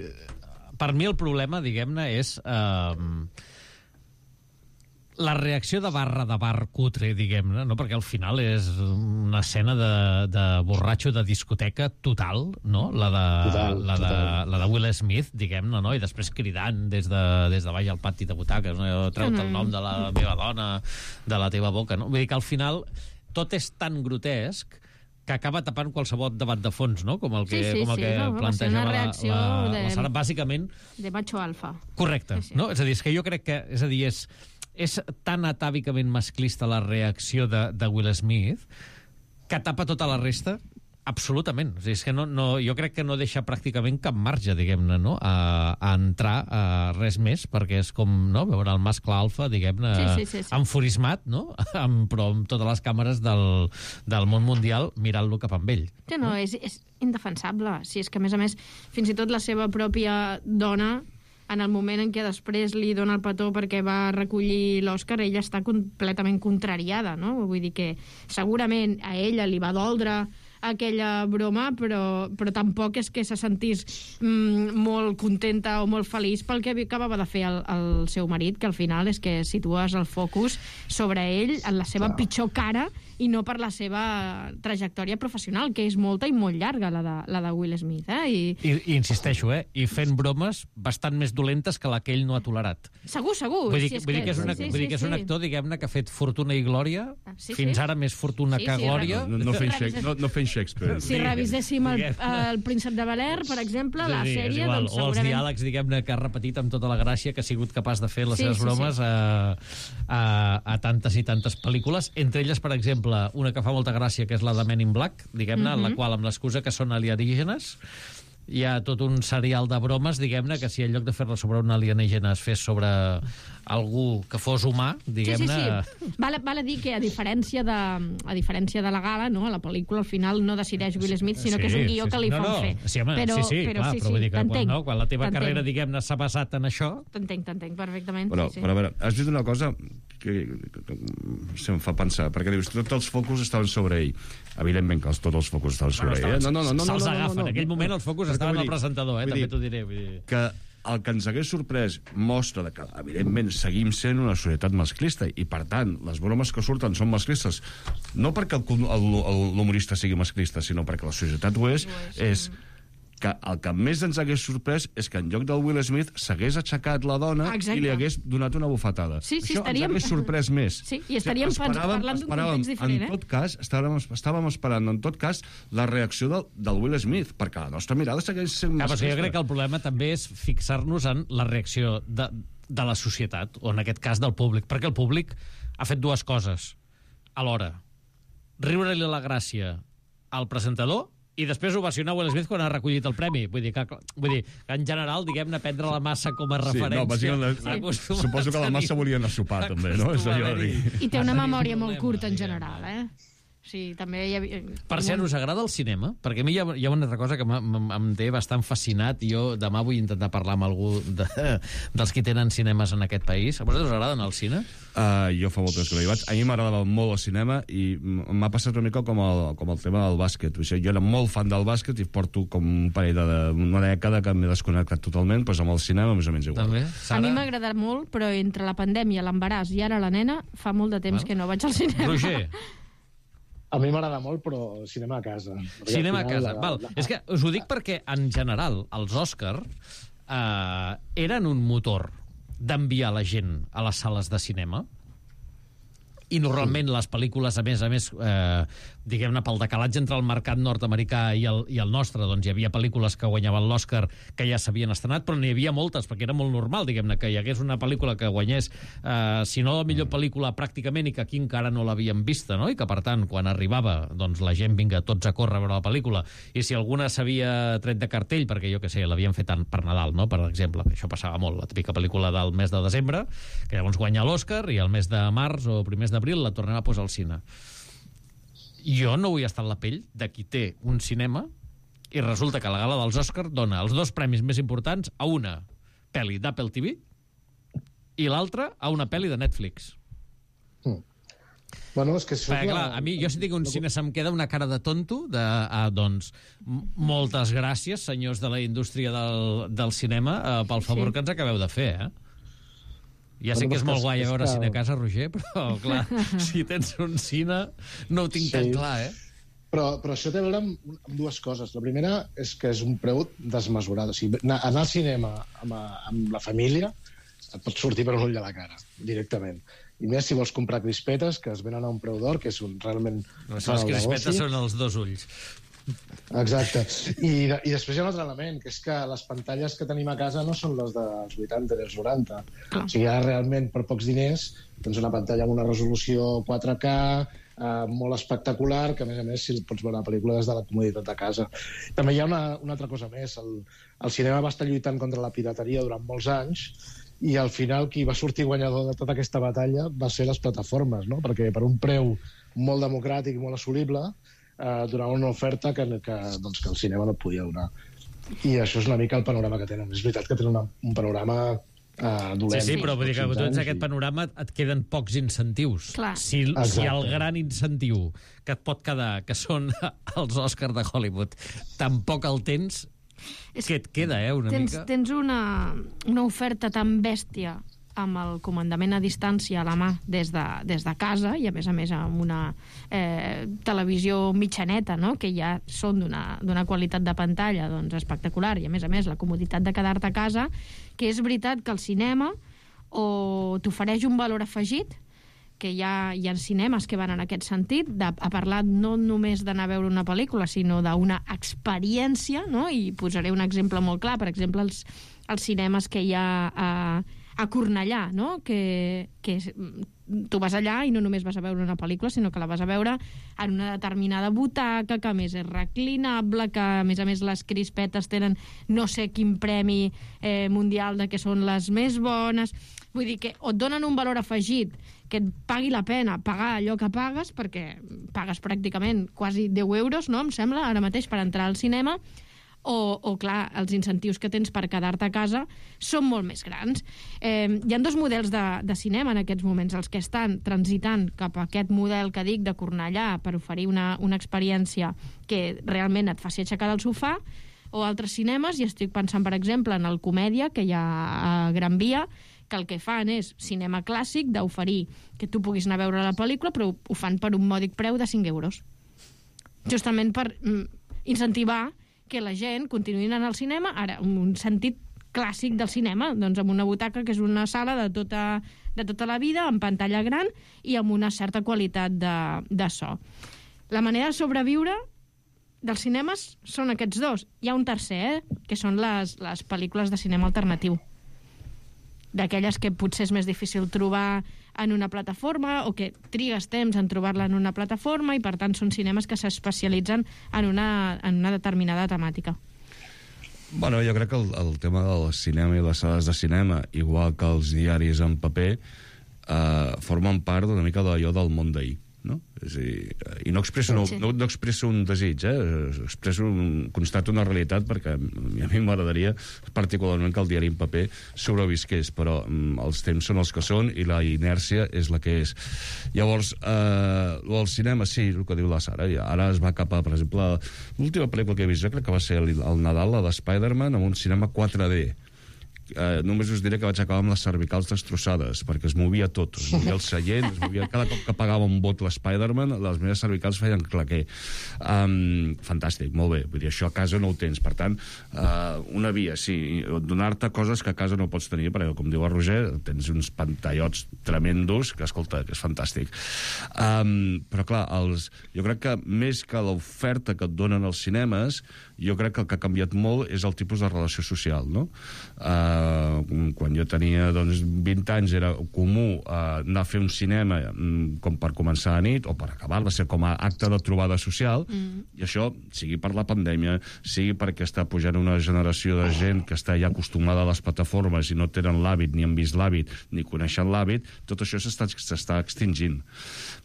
S2: Per mi el problema, diguem-ne, és la reacció de bar cutre, diguem-ne, no? Perquè al final és una escena de borratxo de discoteca total, no? La de Will Smith, diguem-ne, no? I després cridant des de baix al pati de butaques, no? Treu-te el nom de la meva dona de la teva boca, no? Vull dir que al final tot és tan grotesc que acaba tapant qualsevol debat de fons, no? Com el que plantejava la Sara, bàsicament...
S7: De macho alfa.
S2: Correcte, no? És a dir, és que jo crec que... És tan atàvicament masclista la reacció de Will Smith que tapa tota la resta absolutament. És que jo crec que no deixa pràcticament cap marge, diguem-ne, no? a entrar a res més, perquè és com, no?, veure el mascle alfa, diguem-ne, enfurismat, no? Però amb totes les càmeres del món mundial mirant-lo cap amb ell.
S7: Sí, no, és indefensable. Si és que, a més, fins i tot la seva pròpia dona, en el moment en què després li dona el petó perquè va recollir l'Òscar, ella està completament contrariada, no? Vull dir que segurament a ella li va doldre aquella broma, però tampoc és que se sentís molt contenta o molt feliç pel que acabava de fer el seu marit, que al final és que situes el focus sobre ell en la seva pitjor cara i no per la seva trajectòria professional, que és molta i molt llarga, la de Will Smith. I
S2: insisteixo, i fent bromes bastant més dolentes que la que ell no ha tolerat.
S7: Segur.
S2: Vull dir que és un actor, diguem-ne, que ha fet fortuna i glòria, fins ara més fortuna que glòria.
S8: No fent Shakespeare.
S7: Si reviséssim el Príncep de Bel-Air, per exemple, la sèrie, doncs segurament...
S2: O els diàlegs, diguem-ne, que ha repetit amb tota la gràcia, que ha sigut capaç de fer les seves bromes a tantes i tantes pel·lícules, entre elles, per exemple, una que fa molta gràcia, que és la de Men in Black, diguem-ne, en la qual, amb l'excusa que són alienígenes, hi ha tot un serial de bromes, diguem-ne, que si en lloc de fer-la sobre un alienígena es fes sobre algú que fos humà, diguem-ne...
S7: Sí. Val a dir que a diferència de la gala, no, a la pel·lícula al final no decideix Will Smith, sinó que és un guió que li fan fer.
S2: Però vull dir que quan la teva carrera, diguem-ne, s'ha basat en això...
S7: T'entenc perfectament.
S8: Però a veure, has dit una cosa que em fa pensar, perquè dius, tots els focus estaven sobre ell. Evidentment que tots els focus estaven sobre ell.
S2: Se'ls agafen. En aquell moment els focus estaven al presentador, també t'ho diré.
S8: Que el que ens hagués sorprès mostra que, evidentment, seguim sent una societat masclista i, per tant, les bromes que surten són masclistes, no perquè l'humorista sigui masclista, sinó perquè la societat ho és que el que més ens hagués sorprès és que en lloc del Will Smith s'hagués aixecat la dona i li hagués donat una bufetada.
S7: Sí,
S8: això ens hagués sorprès més.
S7: Sí, i estaríem parlant d'un context diferent.
S8: En tot cas, estàvem esperant, en tot cas, la reacció del Will Smith, perquè la nostra mirada segueix sent masclista.
S2: Jo crec que el problema també és fixar-nos en la reacció de la societat, o en aquest cas del públic, perquè el públic ha fet dues coses alhora. Riure-li la gràcia al presentador i després ovacionar Will Smith quan ha recollit el premi. Vull dir que en general, diguem-ne, prendre la massa com a referència.
S8: Suposo que la massa volia anar a sopar, també, no? És allò de dir.
S7: I té una memòria molt curta, en general, Sí, també hi havia...
S2: Per cert, us agrada el cinema? Perquè a mi hi ha una altra cosa que em té bastant fascinat i jo demà vull intentar parlar amb algú dels que tenen cinemes en aquest país. A vosaltres us agrada anar al cine?
S8: Jo fa molt temps que no hi vaig. A mi m'agradava molt el cinema i m'ha passat una mica com el tema del bàsquet. Jo era molt fan del bàsquet i porto com un parell una dècada que m'he desconnectat totalment, doncs amb el cinema més o menys igual.
S2: També?
S7: A mi m'ha agradat molt, però entre la pandèmia, l'embaràs i ara la nena, fa molt de temps que no vaig al cinema.
S2: Roger?
S9: A mi m'agrada molt, però cinema a casa.
S2: Cinema a casa, val. És que us ho dic perquè, en general, els Òscar eren un motor d'enviar la gent a les sales de cinema i normalment les pel·lícules, a més, diguem-ne, pel decalatge entre el mercat nord-americà i el nostre, doncs hi havia pel·lícules que guanyaven l'Òscar que ja s'havien estrenat, però n'hi havia moltes, perquè era molt normal, diguem-ne, que hi hagués una pel·lícula que guanyés, si no la millor pel·lícula pràcticament, i que aquí encara no l'havíem vista, no? I que, per tant, quan arribava, doncs la gent vinga tots a córrer a veure la pel·lícula, i si alguna s'havia tret de cartell, perquè jo què sé, l'havien fet per Nadal, no? Per exemple, això passava molt, la típica pel·lícula del mes de desembre, que llavors guanya l'Òscar, i el mes de març o primers d'abril la tornem a posar al cine. Jo no vull estar en la pell de qui té un cinema i resulta que la gala dels Òscar dona els dos premis més importants a una pel·li d'Apple TV i l'altra a una pel·li de Netflix.
S9: Bueno, és que això...
S2: Clar, a mi, jo si tinc un cine se'm queda una cara de tonto doncs, moltes gràcies, senyors de la indústria del cinema, pel favor que ens acabeu de fer, Ja sé que és molt guai a veure cine a casa, Roger, però, clar, si tens un cine no ho tinc tan clar,
S9: Però això té a veure amb dues coses. La primera és que és un preu desmesurat. O sigui, anar al cinema amb la família et pot sortir per un ull de la cara, directament. I més si vols comprar crispetes, que es venen a un preu d'or, que és realment...
S2: Les crispetes són els dos ulls.
S9: Exacte. I després hi ha un altre element, que és que les pantalles que tenim a casa no són les dels 80 i dels 90. O sigui, ara realment, per pocs diners, tens una pantalla amb una resolució 4K, molt espectacular, que a més si pots veure la pel·lícula des de la comoditat de casa. També hi ha una altra cosa més. El cinema va estar lluitant contra la pirateria durant molts anys i al final qui va sortir guanyador de tota aquesta batalla va ser les plataformes, no? Perquè per un preu molt democràtic i molt assolible donava una oferta que el cinema no et podia donar. I això és una mica el panorama que tenen. És veritat que tenen un panorama dolent.
S2: Sí, però vull dir que tu ets aquest panorama, et queden pocs incentius. Si el gran incentiu que et pot quedar, que són els Òscars de Hollywood, tampoc el tens, què et queda, una mica?
S7: Tens una oferta tan bèstia amb el comandament a distància a la mà des de casa i a més amb una televisió mitjaneta, no? Que ja són d'una qualitat de pantalla doncs, espectacular i a més la comoditat de quedar-te a casa, que és veritat que el cinema o t'ofereix un valor afegit, que hi ha cinemes que van en aquest sentit, a parlar no només d'anar a veure una pel·lícula, sinó d'una experiència, no? I posaré un exemple molt clar, per exemple, els cinemes que hi ha a Cornellà, no? Que tu vas allà i no només vas a veure una pel·lícula, sinó que la vas a veure en una determinada butaca, que a més és reclinable, que a més les crispetes tenen no sé quin premi mundial de que són les més bones. Vull dir que o et donen un valor afegit que et pagui la pena pagar allò que pagues, perquè pagues pràcticament quasi 10 euros, no? Em sembla, ara mateix, per entrar al cinema, o clar, els incentius que tens per quedar-te a casa són molt més grans. Hi ha dos models de cinema en aquests moments, els que estan transitant cap a aquest model que dic de Cornellà per oferir una experiència que realment et faci aixecar del sofà, o altres cinemes, i estic pensant, per exemple, en el Comèdia, que hi ha a Gran Via, que el que fan és cinema clàssic, d'oferir que tu puguis anar a veure la pel·lícula, però ho fan per un mòdic preu de 5 euros. Justament per incentivar que la gent continuï anant al cinema, ara, en un sentit clàssic del cinema, doncs amb una butaca que és una sala de tota la vida, amb pantalla gran i amb una certa qualitat de so. La manera de sobreviure dels cinemes són aquests dos. Hi ha un tercer, que són les pel·lícules de cinema alternatiu. D'aquelles que potser és més difícil trobar en una plataforma o que trigues temps en trobar-la en una plataforma i, per tant, són cinemes que s'especialitzen en una determinada temàtica.
S8: Bueno, jo crec que el tema del cinema i les sales de cinema, igual que els diaris en paper, formen part una mica d'allò del món d'ahir, no? És a dir, i no expresso un desig, constato una realitat, perquè a mi m'agradaria particularment que el diari en paper sobrevisqués, però els temps són els que són i la inèrcia és la que és. Llavors, el cinema, sí, el que diu la Sara, ara es va cap a, per exemple, l'última pel·lícula que he vist, jo crec que va ser el Nadal, la de Spider-Man, amb un cinema 4D. Només us diré que vaig acabar amb les cervicals destrossades, perquè es movia tot, es movia el seient, cada cop que pagava un vot l'Spider-Man, les meves cervicals feien claquer. Fantàstic, molt bé, vull dir, això a casa no ho tens, per tant, una via, sí, donar-te coses que a casa no pots tenir, perquè, com diu el Roger, tens uns pantallots tremendos, que, escolta, que és fantàstic. Però, clar, jo crec que més que l'oferta que et donen els cinemes, jo crec que el que ha canviat molt és el tipus de relació social, no? Quan jo tenia 20 anys era comú anar a fer un cinema com per començar a nit o per acabar-la, ser com a acte de trobada social, i això, sigui per la pandèmia, sigui perquè està pujant una generació de gent que està ja acostumada a les plataformes i no tenen l'hàbit, ni han vist l'hàbit, ni coneixen l'hàbit, tot això s'està extingint.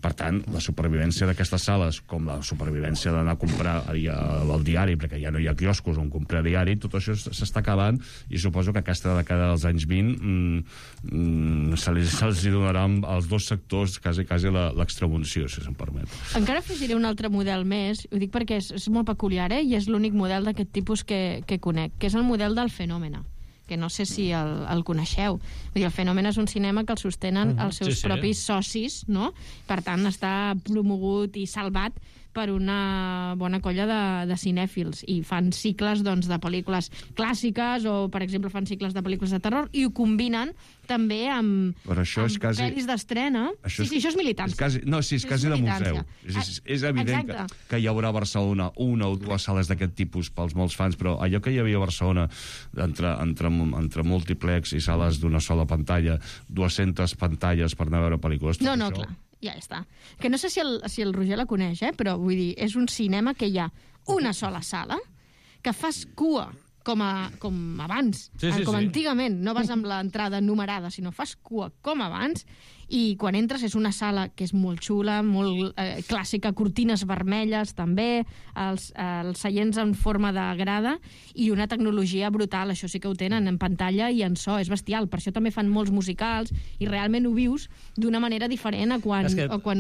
S8: Per tant, la supervivència d'aquestes sales, com la supervivència d'anar a comprar el diari, perquè ja no hi ha quioscos on comprar diari, tot això s'està acabant, i suposo que aquesta dècada dels anys 20 se'ls donarà als dos sectors quasi l'extramunció, si se'm permet. Encara
S7: afegiré un altre model més, ho dic perquè és molt peculiar, i és l'únic model d'aquest tipus que conec, que és el model del Fenòmena, que no sé si el coneixeu. Vull dir, el Fenòmena és un cinema que el sostenen els seus propis socis, no? Per tant, està promogut i salvat per una bona colla de cinèfils, i fan cicles de pel·lícules clàssiques o, per exemple, fan cicles de pel·lícules de terror i ho combinen també amb pel·lis d'estrena. Sí, això és militància.
S8: És quasi de museu. És evident que hi haurà a Barcelona una o dues sales d'aquest tipus pels molts fans, però allò que hi havia a Barcelona entre múltiplex i sales d'una sola pantalla, 200 pantalles per anar a veure pel·lícules...
S7: No, clar. Ja està. Que no sé si el Roger la coneix, però vull dir, és un cinema que hi ha una sola sala, que fas cua com abans, com antigament. No vas amb l'entrada numerada, sinó fas cua com abans, i quan entres és una sala que és molt xula, molt clàssica, cortines vermelles també, els seients en forma de grada, i una tecnologia brutal. Això sí que ho tenen en pantalla i en so, és bestial. Per això també fan molts musicals i realment ho vius d'una manera diferent a quan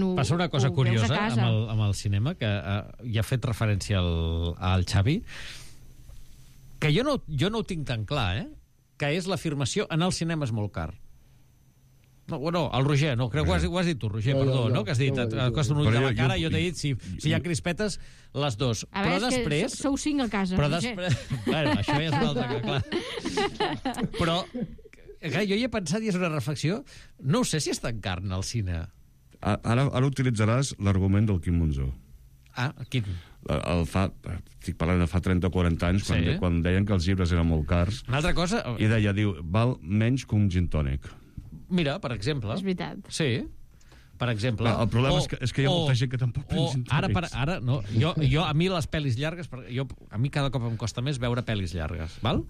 S7: ho
S2: passa una cosa curiosa amb el cinema, que ja ha fet referència al Xavi, que jo no ho tinc tan clar, que és l'afirmació en el cinema és molt car. No, el Roger, no, crec que ho has dit tu, Roger, no, que has dit, et costa un ull de la cara, jo t'he dit, si hi ha crispetes, les dos.
S7: A veure, és que sou 5 a casa, Roger.
S2: Bueno, això ja és una altra que, clar. Però, jo hi he pensat, i és una reflexió, no sé si és tan car al cine.
S8: Ara utilitzaràs l'argument del Quim Monzó.
S2: Quin?
S8: Estic parlant de fa 30 o 40 anys, quan deien que els llibres eren molt cars.
S2: Una altra cosa...
S8: I diu, val menys que un gin tònic.
S2: Mira, per exemple.
S7: És veritat.
S2: Sí, per exemple.
S8: El problema és que hi ha molta gent que tampoc pensa en tònics.
S2: Ara, no, a mi les pel·lis llargues, a mi cada cop em costa més veure pel·lis llargues, val?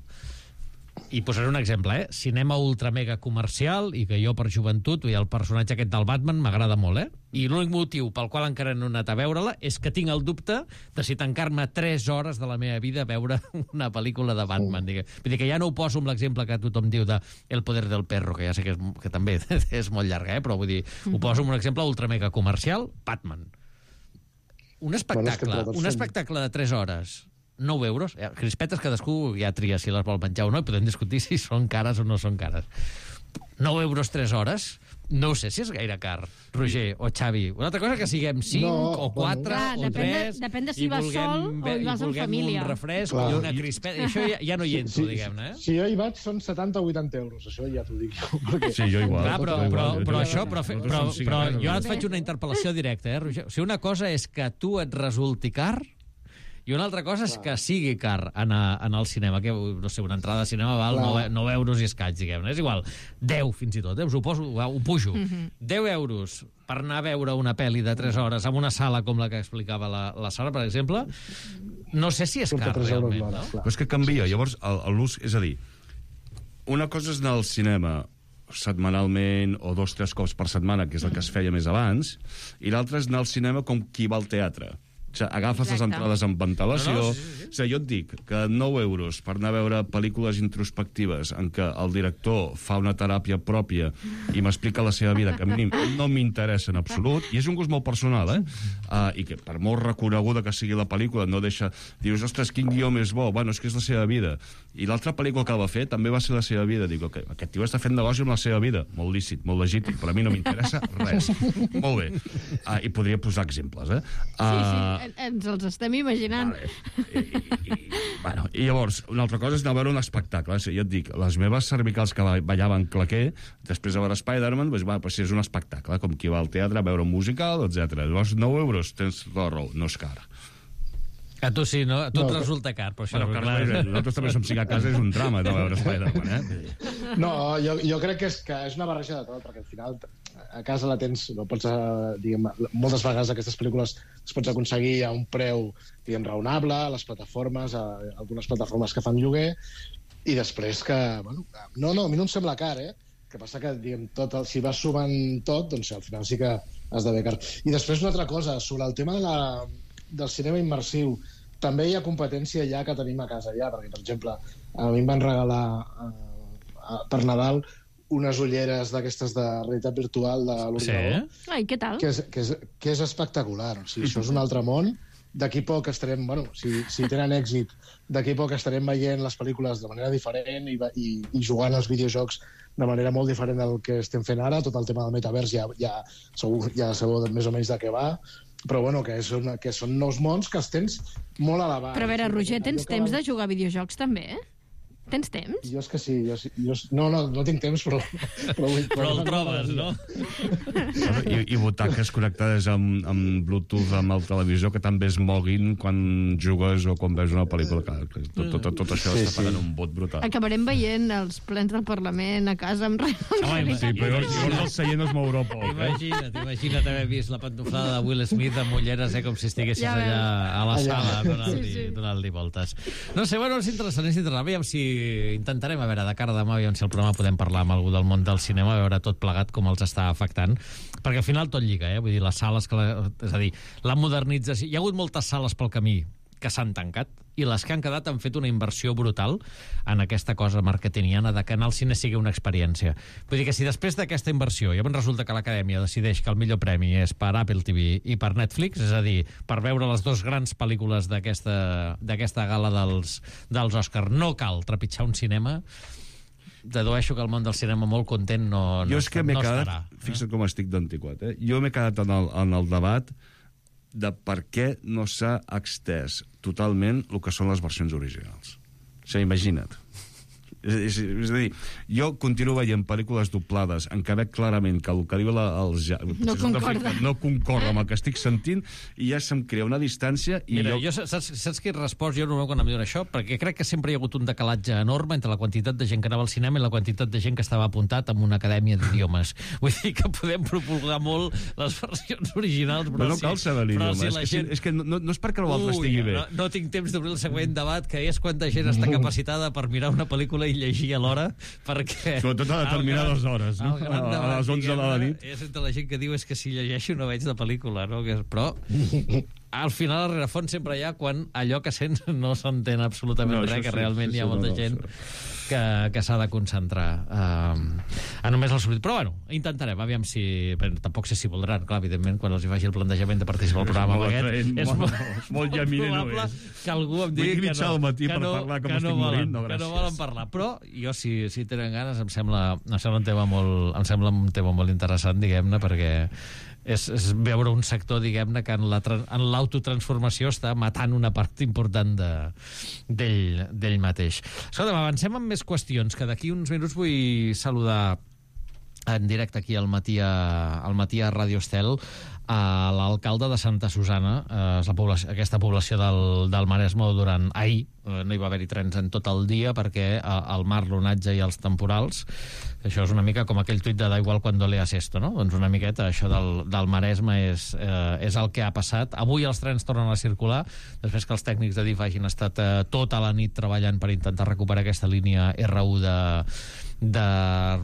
S2: I posaré un exemple, cinema ultra mega comercial, i que jo per joventut, el personatge aquest del Batman m'agrada molt, i l'únic motiu pel qual encara no he anat a veure-la és que tinc el dubte de si tancar-me 3 hores de la meva vida a veure una pel·lícula de Batman. Vull dir que ja no ho poso amb l'exemple que tothom diu de El poder del perro, que ja sé que també és molt llarga, però vull dir, ho poso amb un exemple ultra mega comercial, Batman. Un espectacle de 3 hores, 9 euros. Crispetes cadascú ja tria si les vol menjar o no, i podem discutir si són cares o no són cares. 9 euros 3 hores, no ho sé si és gaire car, Roger o Xavi. Una altra cosa que siguem 5 o 4 o 3...
S7: Depèn de si vas sol o hi vas en família.
S2: Un refresc i una crispeta. Això ja no hi entro, diguem-ne.
S9: Si jo hi vaig, són 70 o 80 euros. Això ja t'ho dic jo. Perquè...
S8: Sí, jo igual.
S2: Però jo ara et faig una interpel·lació directa, Roger? O sigui, una cosa és que tu et resulti car i una altra cosa és que sigui car anar al cinema, que, no sé, una entrada de cinema val 9 euros i escaig, diguem-ne. És igual, 10 fins i tot, us ho pujo. 10 euros per anar a veure una pel·li de 3 hores en una sala com la que explicava la Sara, per exemple, no sé si és car, realment. No?
S8: Però és que canvia, llavors l'ús... És a dir, una cosa és anar al cinema setmanalment o 2 o 3 cops per setmana, que és el que es feia més abans, i l'altre és anar al cinema com qui va al teatre. O sigui, agafes les entrades amb ventilació... O sigui, jo et dic que 9 euros per anar a veure pel·lícules introspectives en què el director fa una teràpia pròpia i m'explica la seva vida, que a mi no m'interessa en absolut, i és un gust molt personal, i que per molt reconeguda que sigui la pel·lícula no deixa... Dius, ostres, quin guió més bo, bueno, és que és la seva vida. I l'altra pel·lícula que va fer també va ser la seva vida. Dic, okay, aquest tio està fent negoci amb la seva vida. Molt lícit, molt legítim, però a mi no m'interessa res. Molt bé. I podria posar exemples,
S7: Sí, ens els estem imaginant.
S8: Vale. I llavors, una altra cosa és anar a veure un espectacle. Jo et dic, les meves cervicals que ballaven claquer, després de veure Spider-Man, doncs és un espectacle, com qui va al teatre a veure un musical, etc. Llavors, 9 euros, tens la raó, no és car.
S2: A tu sí, no? A tu et resulta car, però això...
S8: Nosaltres també som 5 a casa, és un drama de veure Spider-Man,
S9: No, jo crec que és una barreja de tot, perquè al final a casa la tens, no pots, diguem, moltes vegades aquestes pel·lícules es pots aconseguir a un preu, diguem, raonable, a les plataformes, a algunes plataformes que fan lloguer, i després que, bueno, no, a mi no em sembla car, que passa que, diguem, si vas sumant tot, doncs al final sí que esdevé car. I després una altra cosa, sobre el tema del cinema immersiu, també hi ha competència ja que tenim a casa ja, perquè, per exemple, a mi em van regalar per Nadal unes ulleres d'aquestes de realitat virtual de l'ordinador.
S7: Sí? Ai, què tal?
S9: Que és espectacular. O sigui, això és un altre món. D'aquí poc estarem, bueno, si tenen èxit, d'aquí poc estarem veient les pel·lícules de manera diferent i jugant als videojocs de manera molt diferent del que estem fent ara. Tot el tema del metavers ja sabeu més o menys de què va, però bueno, que són nous mons que els tens molt a l'abast.
S7: Però a veure, Roger, tens temps de jugar a videojocs també, Tens temps?
S9: Jo és que sí. No tinc temps, però
S2: el trobes, no?
S8: I butaques connectades amb Bluetooth amb el televisor que també es moguin quan jugues o quan veus una pel·lícula. Tot això està pagant un bot brutal.
S7: Acabarem veient els plens del Parlament a casa amb
S8: realitat. Sí, però llavors el seient es mourà poc.
S2: Imagina't haver vist la pantoflada de Will Smith amb ulleres, com si estiguessis allà a la sala donant-li voltes. No sé, bueno, és interessant. Aviam si intentarem, a veure, de cara a demà, aviam si el programa podem parlar amb algú del món del cinema, a veure tot plegat com els està afectant, perquè al final tot lliga, vull dir, les sales, és a dir, la modernització... Hi ha hagut moltes sales pel camí que s'han tancat, i les que han quedat han fet una inversió brutal en aquesta cosa marketingiana de que anar al cine sigui una experiència. Vull dir que si després d'aquesta inversió llavors resulta que l'Acadèmia decideix que el millor premi és per Apple TV i per Netflix, és a dir, per veure les dues grans pel·lícules d'aquesta gala dels Oscars, no cal trepitjar un cinema, dedueixo que el món del cinema molt content no estarà.
S8: Fixa't com estic d'antiquat, jo m'he quedat en el debat de per què no s'ha extès totalment el que són les versions originals. O sigui, imagina't. És a dir, jo continuo veient pel·lícules doblades en què veig clarament que el que diu no concorda amb el que estic sentint i ja se'm crea una distància i
S2: mira, saps qui respon jo normalment quan em diuen això? Perquè crec que sempre hi ha hagut un decalatge enorme entre la quantitat de gent que anava al cinema i la quantitat de gent que estava apuntat en una acadèmia d'idiomes. Vull dir que podem propulgar molt les versions originals,
S8: però no cal saber l'idioma, és que no és perquè l'altre estigui bé.
S2: No tinc temps d'obrir el següent debat, que és quanta gent està capacitada per mirar una pel·lícula i llegir a l'hora, perquè...
S8: Sobretot a determinades hores, no? A les 11 de la nit.
S2: És entre la gent que diu és que si llegeixo no veig de pel·lícula, no? Però al final, al rerefons, sempre hi ha quan allò que sents no s'entén absolutament res, que realment hi ha molta gent que s'ha de concentrar a només el substitut. Però bueno, intentarem, aviam si... Tampoc sé si voldran, clar, evidentment, quan els hi faci el plantejament de participar al programa aquest, és molt probable que algú em digui que no volen parlar. Però jo, si tenen ganes, em sembla un tema molt interessant, diguem-ne, perquè és veure un sector, diguem-ne, que en l'autotransformació està matant una part important d'ell mateix. Escolta'm, avancem amb més qüestions, que d'aquí uns minuts vull saludar en directe aquí al matí a Ràdio Estel a l'alcalde de Santa Susana, aquesta població del Maresme, durant ahir no hi va haver-hi trens en tot el dia perquè el mar, l'onatge i els temporals, això és una mica com aquell tuit de da igual cuando leas esto, no? Doncs una miqueta això del Maresme és el que ha passat. Avui els trens tornen a circular, després que els tècnics de DIF hagin estat tota la nit treballant per intentar recuperar aquesta línia R1 de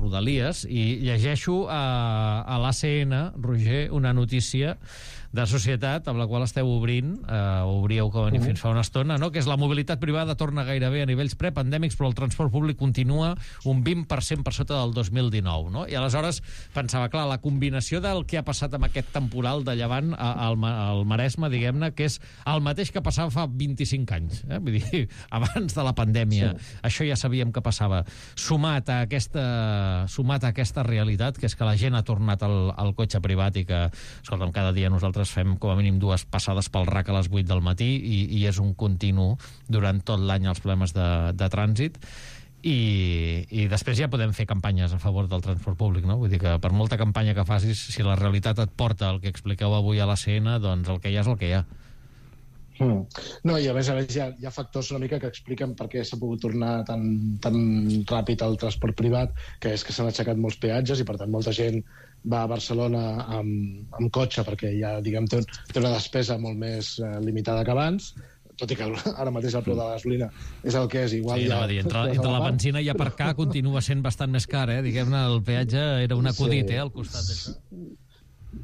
S2: Rodalies, i llegeixo a l'ACN, Roger, una notícia de Societat amb la qual esteu obrint, obríeu com a fins fa una estona, no? Que és la mobilitat privada torna gairebé a nivells prepandèmics, però el transport públic continua un 20% per sota del 2019, no? I aleshores pensava, clar, la combinació del que ha passat amb aquest temporal de llevant al Maresme, diguem-ne, que és el mateix que passava fa 25 anys, vull dir, abans de la pandèmia. Sí. Això ja sabíem que passava. Sumat a aquesta realitat, que és que la gent ha tornat al cotxe privat i que, escolta'm, cada dia nosaltres fem com a mínim 2 passades pel RAC a les 8 del matí i és un continu durant tot l'any els problemes de trànsit, i després ja podem fer campanyes a favor del transport públic, no? Vull dir que per molta campanya que facis, si la realitat et porta el que expliqueu avui a l'ACN, doncs el que hi ha és el que hi ha.
S9: No, i a més hi ha factors una mica que expliquen per què s'ha pogut tornar tan ràpid al transport privat, que és que s'han aixecat molts peatges i per tant molta gent va a Barcelona amb cotxe perquè ja, diguem, té una despesa molt més limitada que abans, tot i que ara mateix el preu de la gasolina és el que és, igual
S2: sí,
S9: ja...
S2: Entre la benzina i aparcar continua sent bastant més car, diguem-ne, el peatge era un acudit, al costat d'això.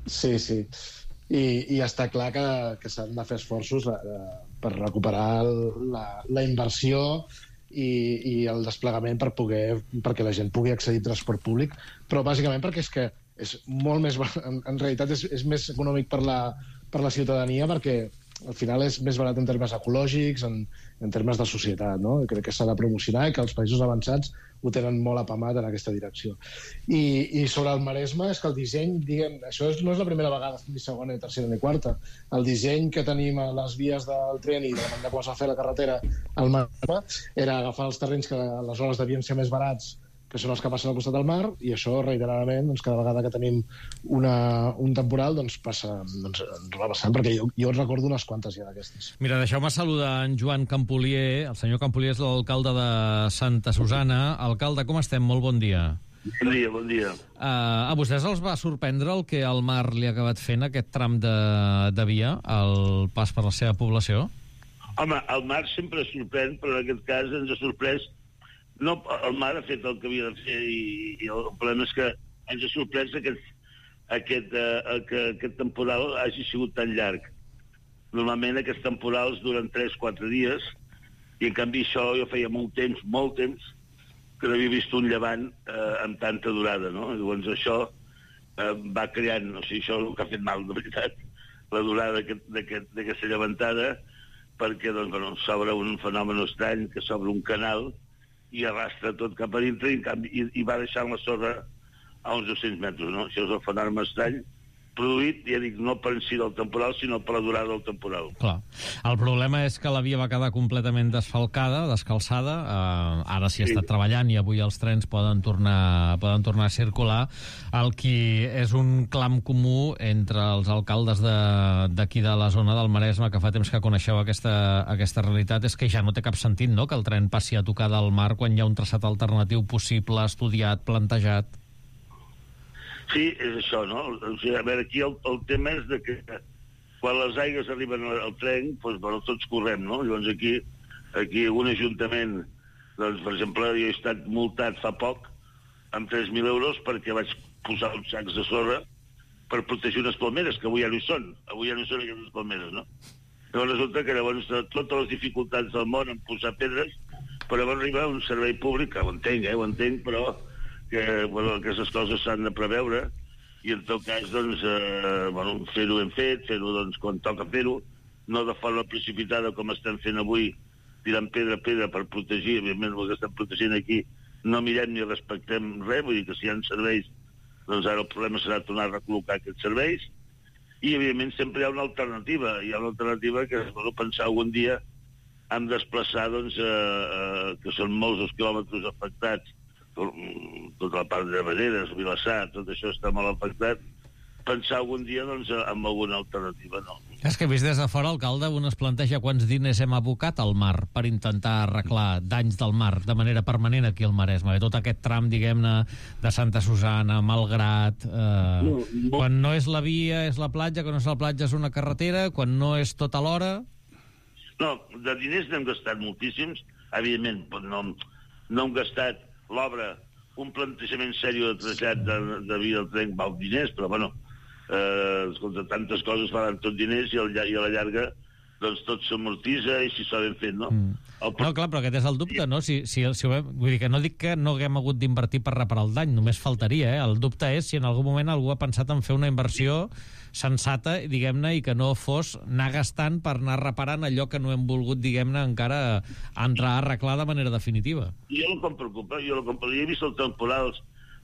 S9: Sí. I està clar que s'han de fer esforços per recuperar la inversió i el desplegament perquè la gent pugui accedir al transport públic, però bàsicament perquè és que és molt més... En realitat és més econòmic per la ciutadania, perquè al final és més barat en termes ecològics, en termes de societat, no? Crec que s'ha de promocionar i que els països avançats ho tenen molt apamat en aquesta direcció. I sobre el Maresme, és que el disseny, diguem, això no és la primera vegada, ni segona, ni tercera, ni quarta. El disseny que tenim a les vies del tren i de la manera com es va fer la carretera al Maresme era agafar els terrenys que aleshores devien ser més barats, que són els que passen al costat del mar, i això, reiteradament, doncs, cada vegada que tenim un temporal, doncs ens va passant, perquè jo recordo unes quantes ja d'aquestes.
S2: Mira, deixeu-me saludar en Joan Campolier. El senyor Campolier és l'alcalde de Santa Susana. Alcalde, com estem? Molt bon dia.
S10: Bon dia.
S2: A vostès els va sorprendre el que el mar li ha acabat fent, aquest tram de via, al pas per la seva població?
S10: Home, el mar sempre sorprèn, però en aquest cas ens ha sorprès. No, el mar ha fet el que havia de fer i el problema és que ens ha sorprès que aquest temporal hagi sigut tan llarg. Normalment aquests temporals duren 3-4 dies i en canvi això jo feia molt temps, que no havia vist un llevant amb tanta durada, no? Llavors això va creant, o sigui, això és el que ha fet mal, de veritat, la durada d'aquesta llevantada, perquè doncs, s'obre un fenomen estrany, que s'obre un canal i arrastra tot cap a dintre i va deixant la sorra a uns 200 metres, no? Això és el fenomen estrany produït, ja dic, no per en si del temporal, sinó per la durada del temporal.
S2: Clar. El problema és que la via va quedar completament desfalcada, descalçada, ara s'hi ha estat treballant i avui els trens poden tornar a circular. El que és un clam comú entre els alcaldes d'aquí de la zona del Maresme, que fa temps que coneixeu aquesta realitat, és que ja no té cap sentit, no?, que el tren passi a tocar del mar quan hi ha un traçat alternatiu possible, estudiat, plantejat.
S10: Sí, és això, no? O sigui, a veure, aquí el tema és de que quan les aigües arriben al tren, doncs, bueno, tots correm, no? Llavors aquí un ajuntament, doncs, per exemple, jo he estat multat fa poc amb 3.000 euros perquè vaig posar uns sacs de sorra per protegir unes palmeres, que avui ja no hi són. Avui ja no hi són aquestes palmeres, no? Llavors resulta que llavors totes les dificultats del món en posar pedres però va arribar un servei públic, que ho entenc, però que aquestes coses s'han de preveure, i en tot cas, doncs, fer-ho ben fet, fer-ho quan toca fer-ho, no de forma precipitada com estem fent avui, tirant pedra a pedra per protegir, evidentment el que estem protegint aquí, no mirem ni respectem res, vull dir que si hi ha serveis, doncs ara el problema serà tornar a recol·locar aquests serveis, i evidentment sempre hi ha una alternativa, que és pensar algun dia en desplaçar, doncs, que són molts els quilòmetres afectats, tota la part de Valleres, Vilassar, tot això està molt afectat, pensar algun dia, doncs, en alguna alternativa, no.
S2: És que vist des de fora, alcalde, un es planteja quants diners hem abocat al mar per intentar arreglar danys del mar de manera permanent aquí al Maresme. Tot aquest tram, diguem-ne, de Santa Susana, Malgrat... Quan no és la via és la platja, quan no és la platja és una carretera, quan no és tota l'hora...
S10: No, de diners n'hem gastat moltíssims, evidentment, no hem gastat l'obra, un plantejament seriós de trasllat de via del tren val diners, però bueno, escolta, tantes coses faran tot diners i a la llarga doncs tot s'amortitza i si s'ha ben fet, no?
S2: No, clar, però aquest és el dubte, no? Vull dir que no dic que no haguem hagut d'invertir per reparar el dany, només faltaria, eh? El dubte és si en algun moment algú ha pensat en fer una inversió sensata, diguem-ne, i que no fos anar gastant per anar reparant allò que no hem volgut, diguem-ne, encara entrar a arreglar de manera definitiva.
S10: Jo el que em preocupa, jo he vist els temporals,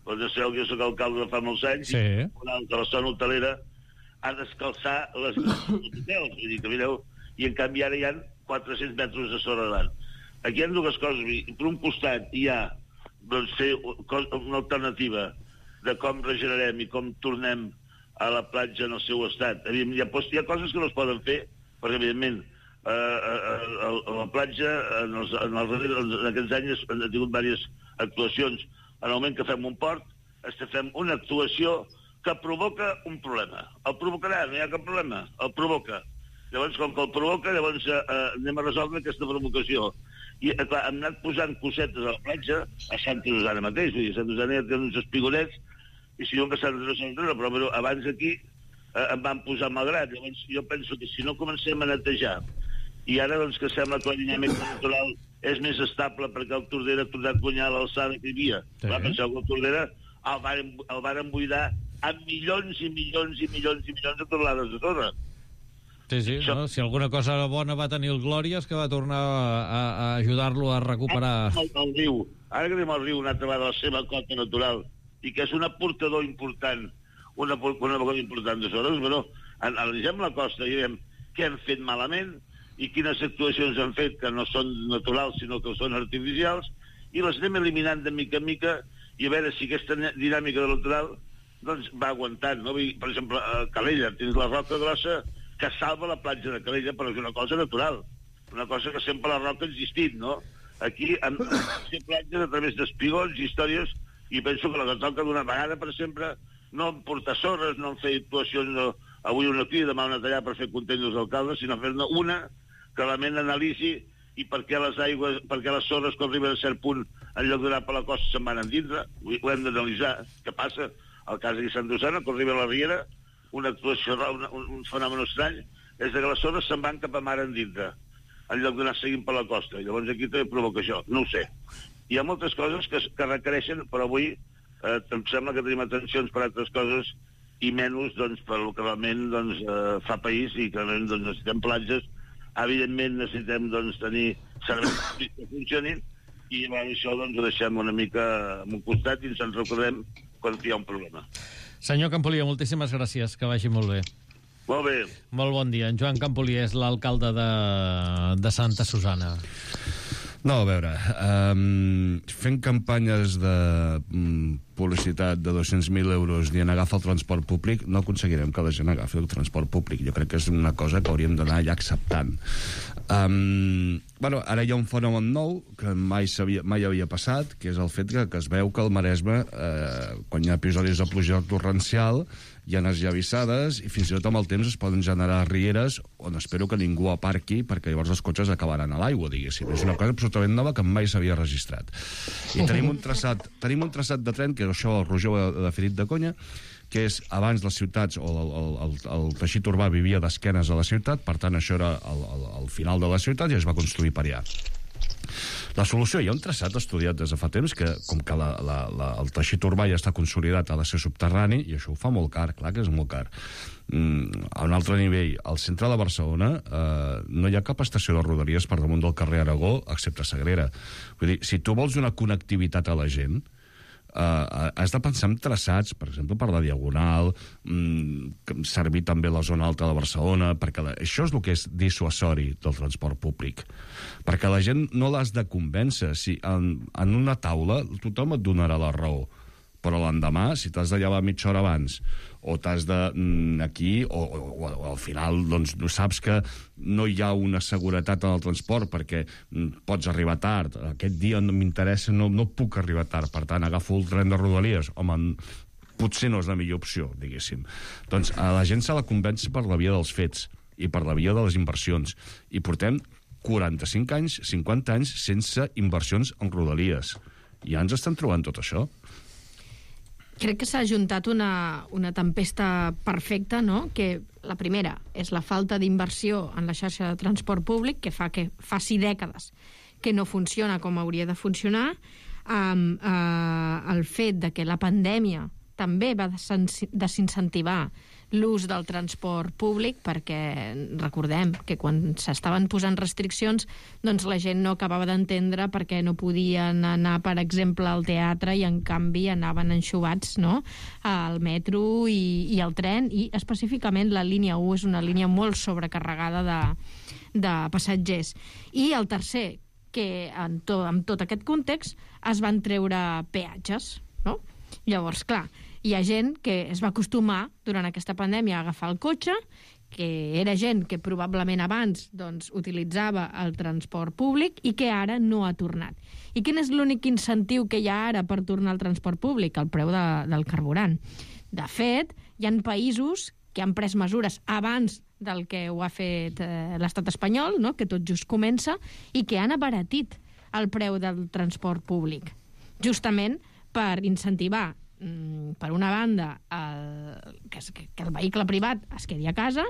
S10: doncs ja sabeu que jo soc alcalde de fa molts anys,
S2: sí.
S10: I que la zona hotelera ha d'escalçar les hotels, vull dir que mireu, i en canvi ara hi ha 400 metres de sorra davant. Aquí hi ha dues coses, per un costat hi ha doncs, fer una alternativa de com regenerem i com tornem a la platja en el seu estat. Hi ha coses que no es poden fer, perquè evidentment la platja en aquests anys ha tingut diverses actuacions. En el moment que fem un port, fem una actuació que provoca un problema. El provocarà, no hi ha cap problema, el provoca. Llavors, com que el provoca, llavors anem a resoldre aquesta provocació. I, clar, hem anat posant cosetes a la platja, a Santa Susana mateix, vull dir, a Santa Susana ja tenen uns espigonets, i si no que Santa Susana, però abans aquí em van posar Malgrat. Llavors, jo penso que si no comencem a netejar, i ara, doncs, que sembla que la dinàmica natural és més estable perquè el Tordera ha tornat a guanyar l'alçada que hi havia. Sí. Va pensar que el Tordera el varen buidar amb milions i milions i milions i milions de tonelades de sorra.
S2: Sí, no? Si alguna cosa bona va tenir el Glòria és que va tornar a ajudar-lo a recuperar...
S10: El riu. Ara que tenim el riu una altra vegada la seva cota natural i que és un aportador important, una cosa important de sorres, però analitzem la costa i diem què hem fet malament i quines actuacions han fet que no són naturals sinó que són artificials i les anem eliminant de mica en mica i a veure si aquesta dinàmica del litoral doncs va aguantant, no? Per exemple, a Calella tens la roca grossa que salva la platja de Calella, però és una cosa natural, una cosa que sempre la roca ha existit, no? Aquí han fet platges a través d'espigons i històries i penso que la que toca d'una vegada per sempre no en portar sorres, no en fer actuacions, no, avui una aquí, demà una allà per fer contents els alcaldes, sinó fer-ne una que realment analitzi i per què les sorres quan arriben a cert punt en lloc d'anar per la costa se'n van endintre, ho hem d'analitzar què passa. El cas de Sant Susana, quan arriba a la Riera, una actuació, un fenomen estrany és que les sorres se'n van cap a mar endintre en lloc d'anar seguint per la costa, i llavors aquí també provoca això, no ho sé. Hi ha moltes coses que requereixen, però avui em sembla que tenim atencions per altres coses i menys doncs, per el que realment doncs, fa país i que realment doncs, necessitem platges. Evidentment necessitem doncs, tenir serveis que funcionin i això doncs, ho deixem una mica a un costat i ens en recordem quan hi ha un problema.
S2: Senyor Campolier, moltíssimes gràcies, que vagi molt bé.
S10: Molt bé.
S2: Molt bon dia. En Joan Campolier és l'alcalde de Santa Susana.
S8: No, a veure, fent campanyes de publicitat de 200.000 euros dient agafa el transport públic, no aconseguirem que la gent agafi el transport públic. Jo crec que és una cosa que hauríem d'anar ja acceptant. Bueno, ara hi ha un fenomen nou que mai havia passat, que és el fet que es veu que al Maresme, quan hi ha episodis de pluja torrencial, hi ha energia vissades i fins i tot amb el temps es poden generar rieres on espero que ningú aparqui perquè llavors els cotxes acabaran a l'aigua, diguéssim. És una cosa absolutament nova que mai s'havia registrat. I tenim un traçat de tren, que és això, el Rojor de Ferit de Conya, que és abans les ciutats o el teixit urbà vivia d'esquenes a la ciutat, per tant això era el final de la ciutat i es va construir per allà. La solució, hi ha un traçat estudiat des de fa temps que, com que el teixit urbà ja està consolidat, ha de ser subterrani, i això ho fa molt car, clar que és molt car. A un altre nivell, al centre de Barcelona no hi ha cap estació de Rodalies per damunt del carrer Aragó, excepte Sagrera. Vull dir, si tu vols una connectivitat a la gent, has de pensar en traçats, per exemple, per la Diagonal, servir també la zona alta de Barcelona, perquè això és el que és dissuasori del transport públic. Perquè la gent no l'has de convèncer. Si en una taula tothom et donarà la raó, però l'endemà, si t'has de llevar mitja hora abans, o t'has de aquí, o al final doncs, saps que no hi ha una seguretat en el transport perquè pots arribar tard, aquest dia no m'interessa, no puc arribar tard, per tant agafo el tren de Rodalies, home, potser no és la millor opció, diguéssim. Doncs a la gent s'ha de convèncer per la via dels fets i per la via de les inversions, i portem 45 anys, 50 anys sense inversions en Rodalies. Ja ens estan trobant tot això.
S7: Crec que s'ha ajuntat una tempesta perfecta, no? Que la primera és la falta d'inversió en la xarxa de transport públic, que fa que faci dècades que no funciona com hauria de funcionar, el fet de que la pandèmia també va desincentivar l'ús del transport públic, perquè recordem que quan s'estaven posant restriccions doncs la gent no acabava d'entendre perquè no podien anar, per exemple, al teatre, i en canvi anaven enxubats, no?, al metro i al tren, i específicament la línia 1 és una línia molt sobrecarregada de passatgers. I el tercer, que amb tot aquest context es van treure peatges, no? Llavors, clar, hi ha gent que es va acostumar durant aquesta pandèmia a agafar el cotxe, que era gent que probablement abans doncs, utilitzava el transport públic i que ara no ha tornat. I quin és l'únic incentiu que hi ha ara per tornar al transport públic? El preu del carburant. De fet, hi ha països que han pres mesures abans del que ho ha fet l'estat espanyol, no?, que tot just comença, i que han abaratit el preu del transport públic, justament per incentivar, per una banda, que el vehicle privat es quedi a casa,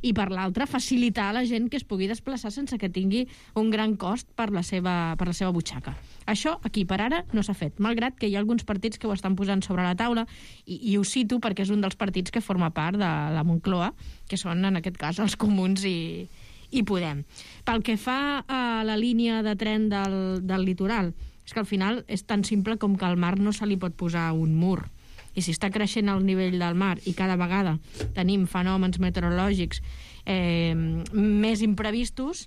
S7: i per l'altra, facilitar a la gent que es pugui desplaçar sense que tingui un gran cost per la seva butxaca. Això, aquí per ara, no s'ha fet, malgrat que hi ha alguns partits que ho estan posant sobre la taula, i ho cito perquè és un dels partits que forma part de la Moncloa, que són, en aquest cas, els Comuns i Podem. Pel que fa a la línia de tren del litoral, és que al final és tan simple com que al mar no se li pot posar un mur. I si està creixent el nivell del mar i cada vegada tenim fenòmens meteorològics més imprevistos,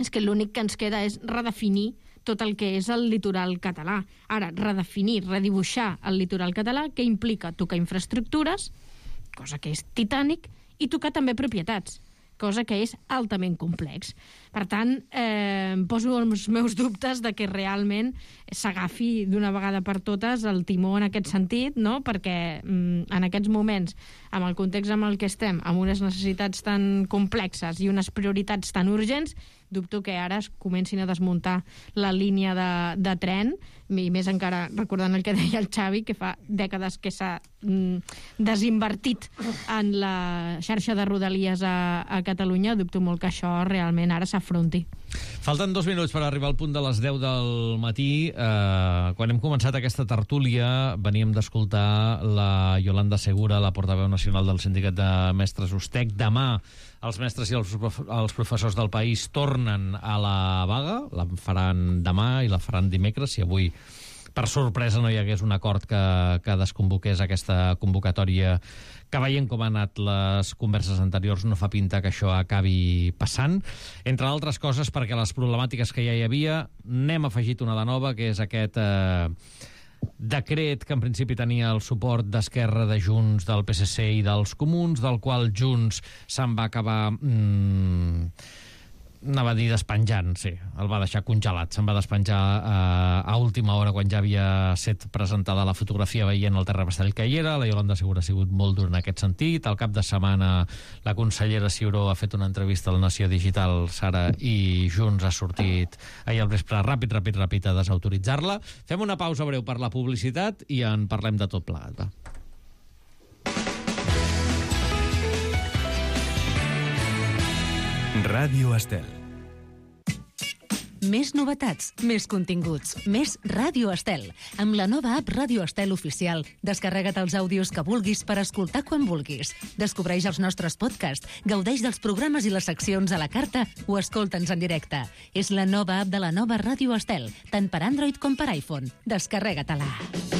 S7: és que l'únic que ens queda és redefinir tot el que és el litoral català. Ara, redefinir, redibuixar el litoral català, que implica tocar infraestructures, cosa que és titànic, i tocar també propietats, cosa que és altament complex. Per tant, poso els meus dubtes de que realment s'agafi d'una vegada per totes el timó en aquest sentit, no? Perquè en aquests moments, amb el context en el que estem, amb unes necessitats tan complexes i unes prioritats tan urgents, dubto que ara es comencin a desmuntar la línia de tren, i més encara recordant el que deia el Xavi, que fa dècades que s'ha desinvertit en la xarxa de Rodalies a Catalunya. Dubto molt que això realment ara s'afronti.
S2: Falten 2 minuts per arribar al punt de les 10 del matí. Quan hem començat aquesta tertúlia veníem d'escoltar la Yolanda Segura, la portaveu nacional del Sindicat de Mestres USTEC. Demà els mestres i els professors del país tornen a la vaga, la faran demà i la faran dimecres, si avui per sorpresa no hi hagués un acord que desconvoqués aquesta convocatòria, que veient com han anat les converses anteriors no fa pinta que això acabi passant. Entre altres coses perquè les problemàtiques que ja hi havia n'hem afegit una de nova, que és aquest decret que en principi tenia el suport d'Esquerra, de Junts, del PSC i dels Comuns, del qual Junts se'n va acabar anava a dir despenjant, sí, el va deixar congelat, se'n va despenjar a última hora quan ja havia estat presentada la fotografia veient el terrabastall que hi era. La Yolanda Segura ha sigut molt dura en aquest sentit. Al cap de setmana la consellera Ciuró ha fet una entrevista al Nació Digital, Sara, i Junts ha sortit ahir al vespre ràpid a desautoritzar-la. Fem una pausa breu per la publicitat i en parlem de tot plegat, va.
S3: Ràdio Estel.
S4: Més novetats, més continguts, més Ràdio Estel. Amb la nova app Ràdio Estel Oficial, descarrega't els àudios que vulguis per escoltar quan vulguis. Descobreix els nostres podcasts, gaudeix dels programes i les seccions a la carta o escolta'ns en directe. És la nova app de la nova Ràdio Estel, tant per Android com per iPhone. Descarrega-te-la.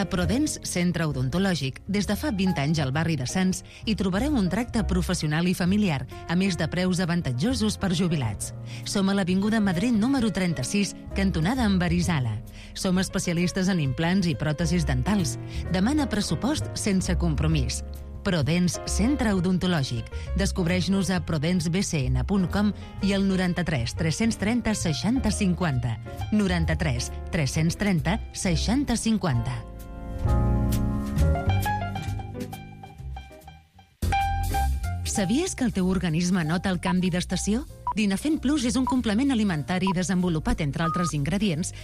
S4: A Prodens Centre Odontològic, des de fa 20 anys al barri de Sants, hi trobareu un tracte professional i familiar, a més de preus avantatjosos per jubilats. Som a l'Avinguda Madrid número 36, cantonada amb Arizala. Som especialistes en implants i pròtesis dentals. Demana pressupost sense compromís. Prodens Centre Odontològic. Descobreix-nos a prodensbcn.com i al 93 330 60 50. 93 330 60 50. Sabies que el teu organisme nota el canvi d'estació? Dinafent Plus és un complement alimentari desenvolupat, entre altres ingredients,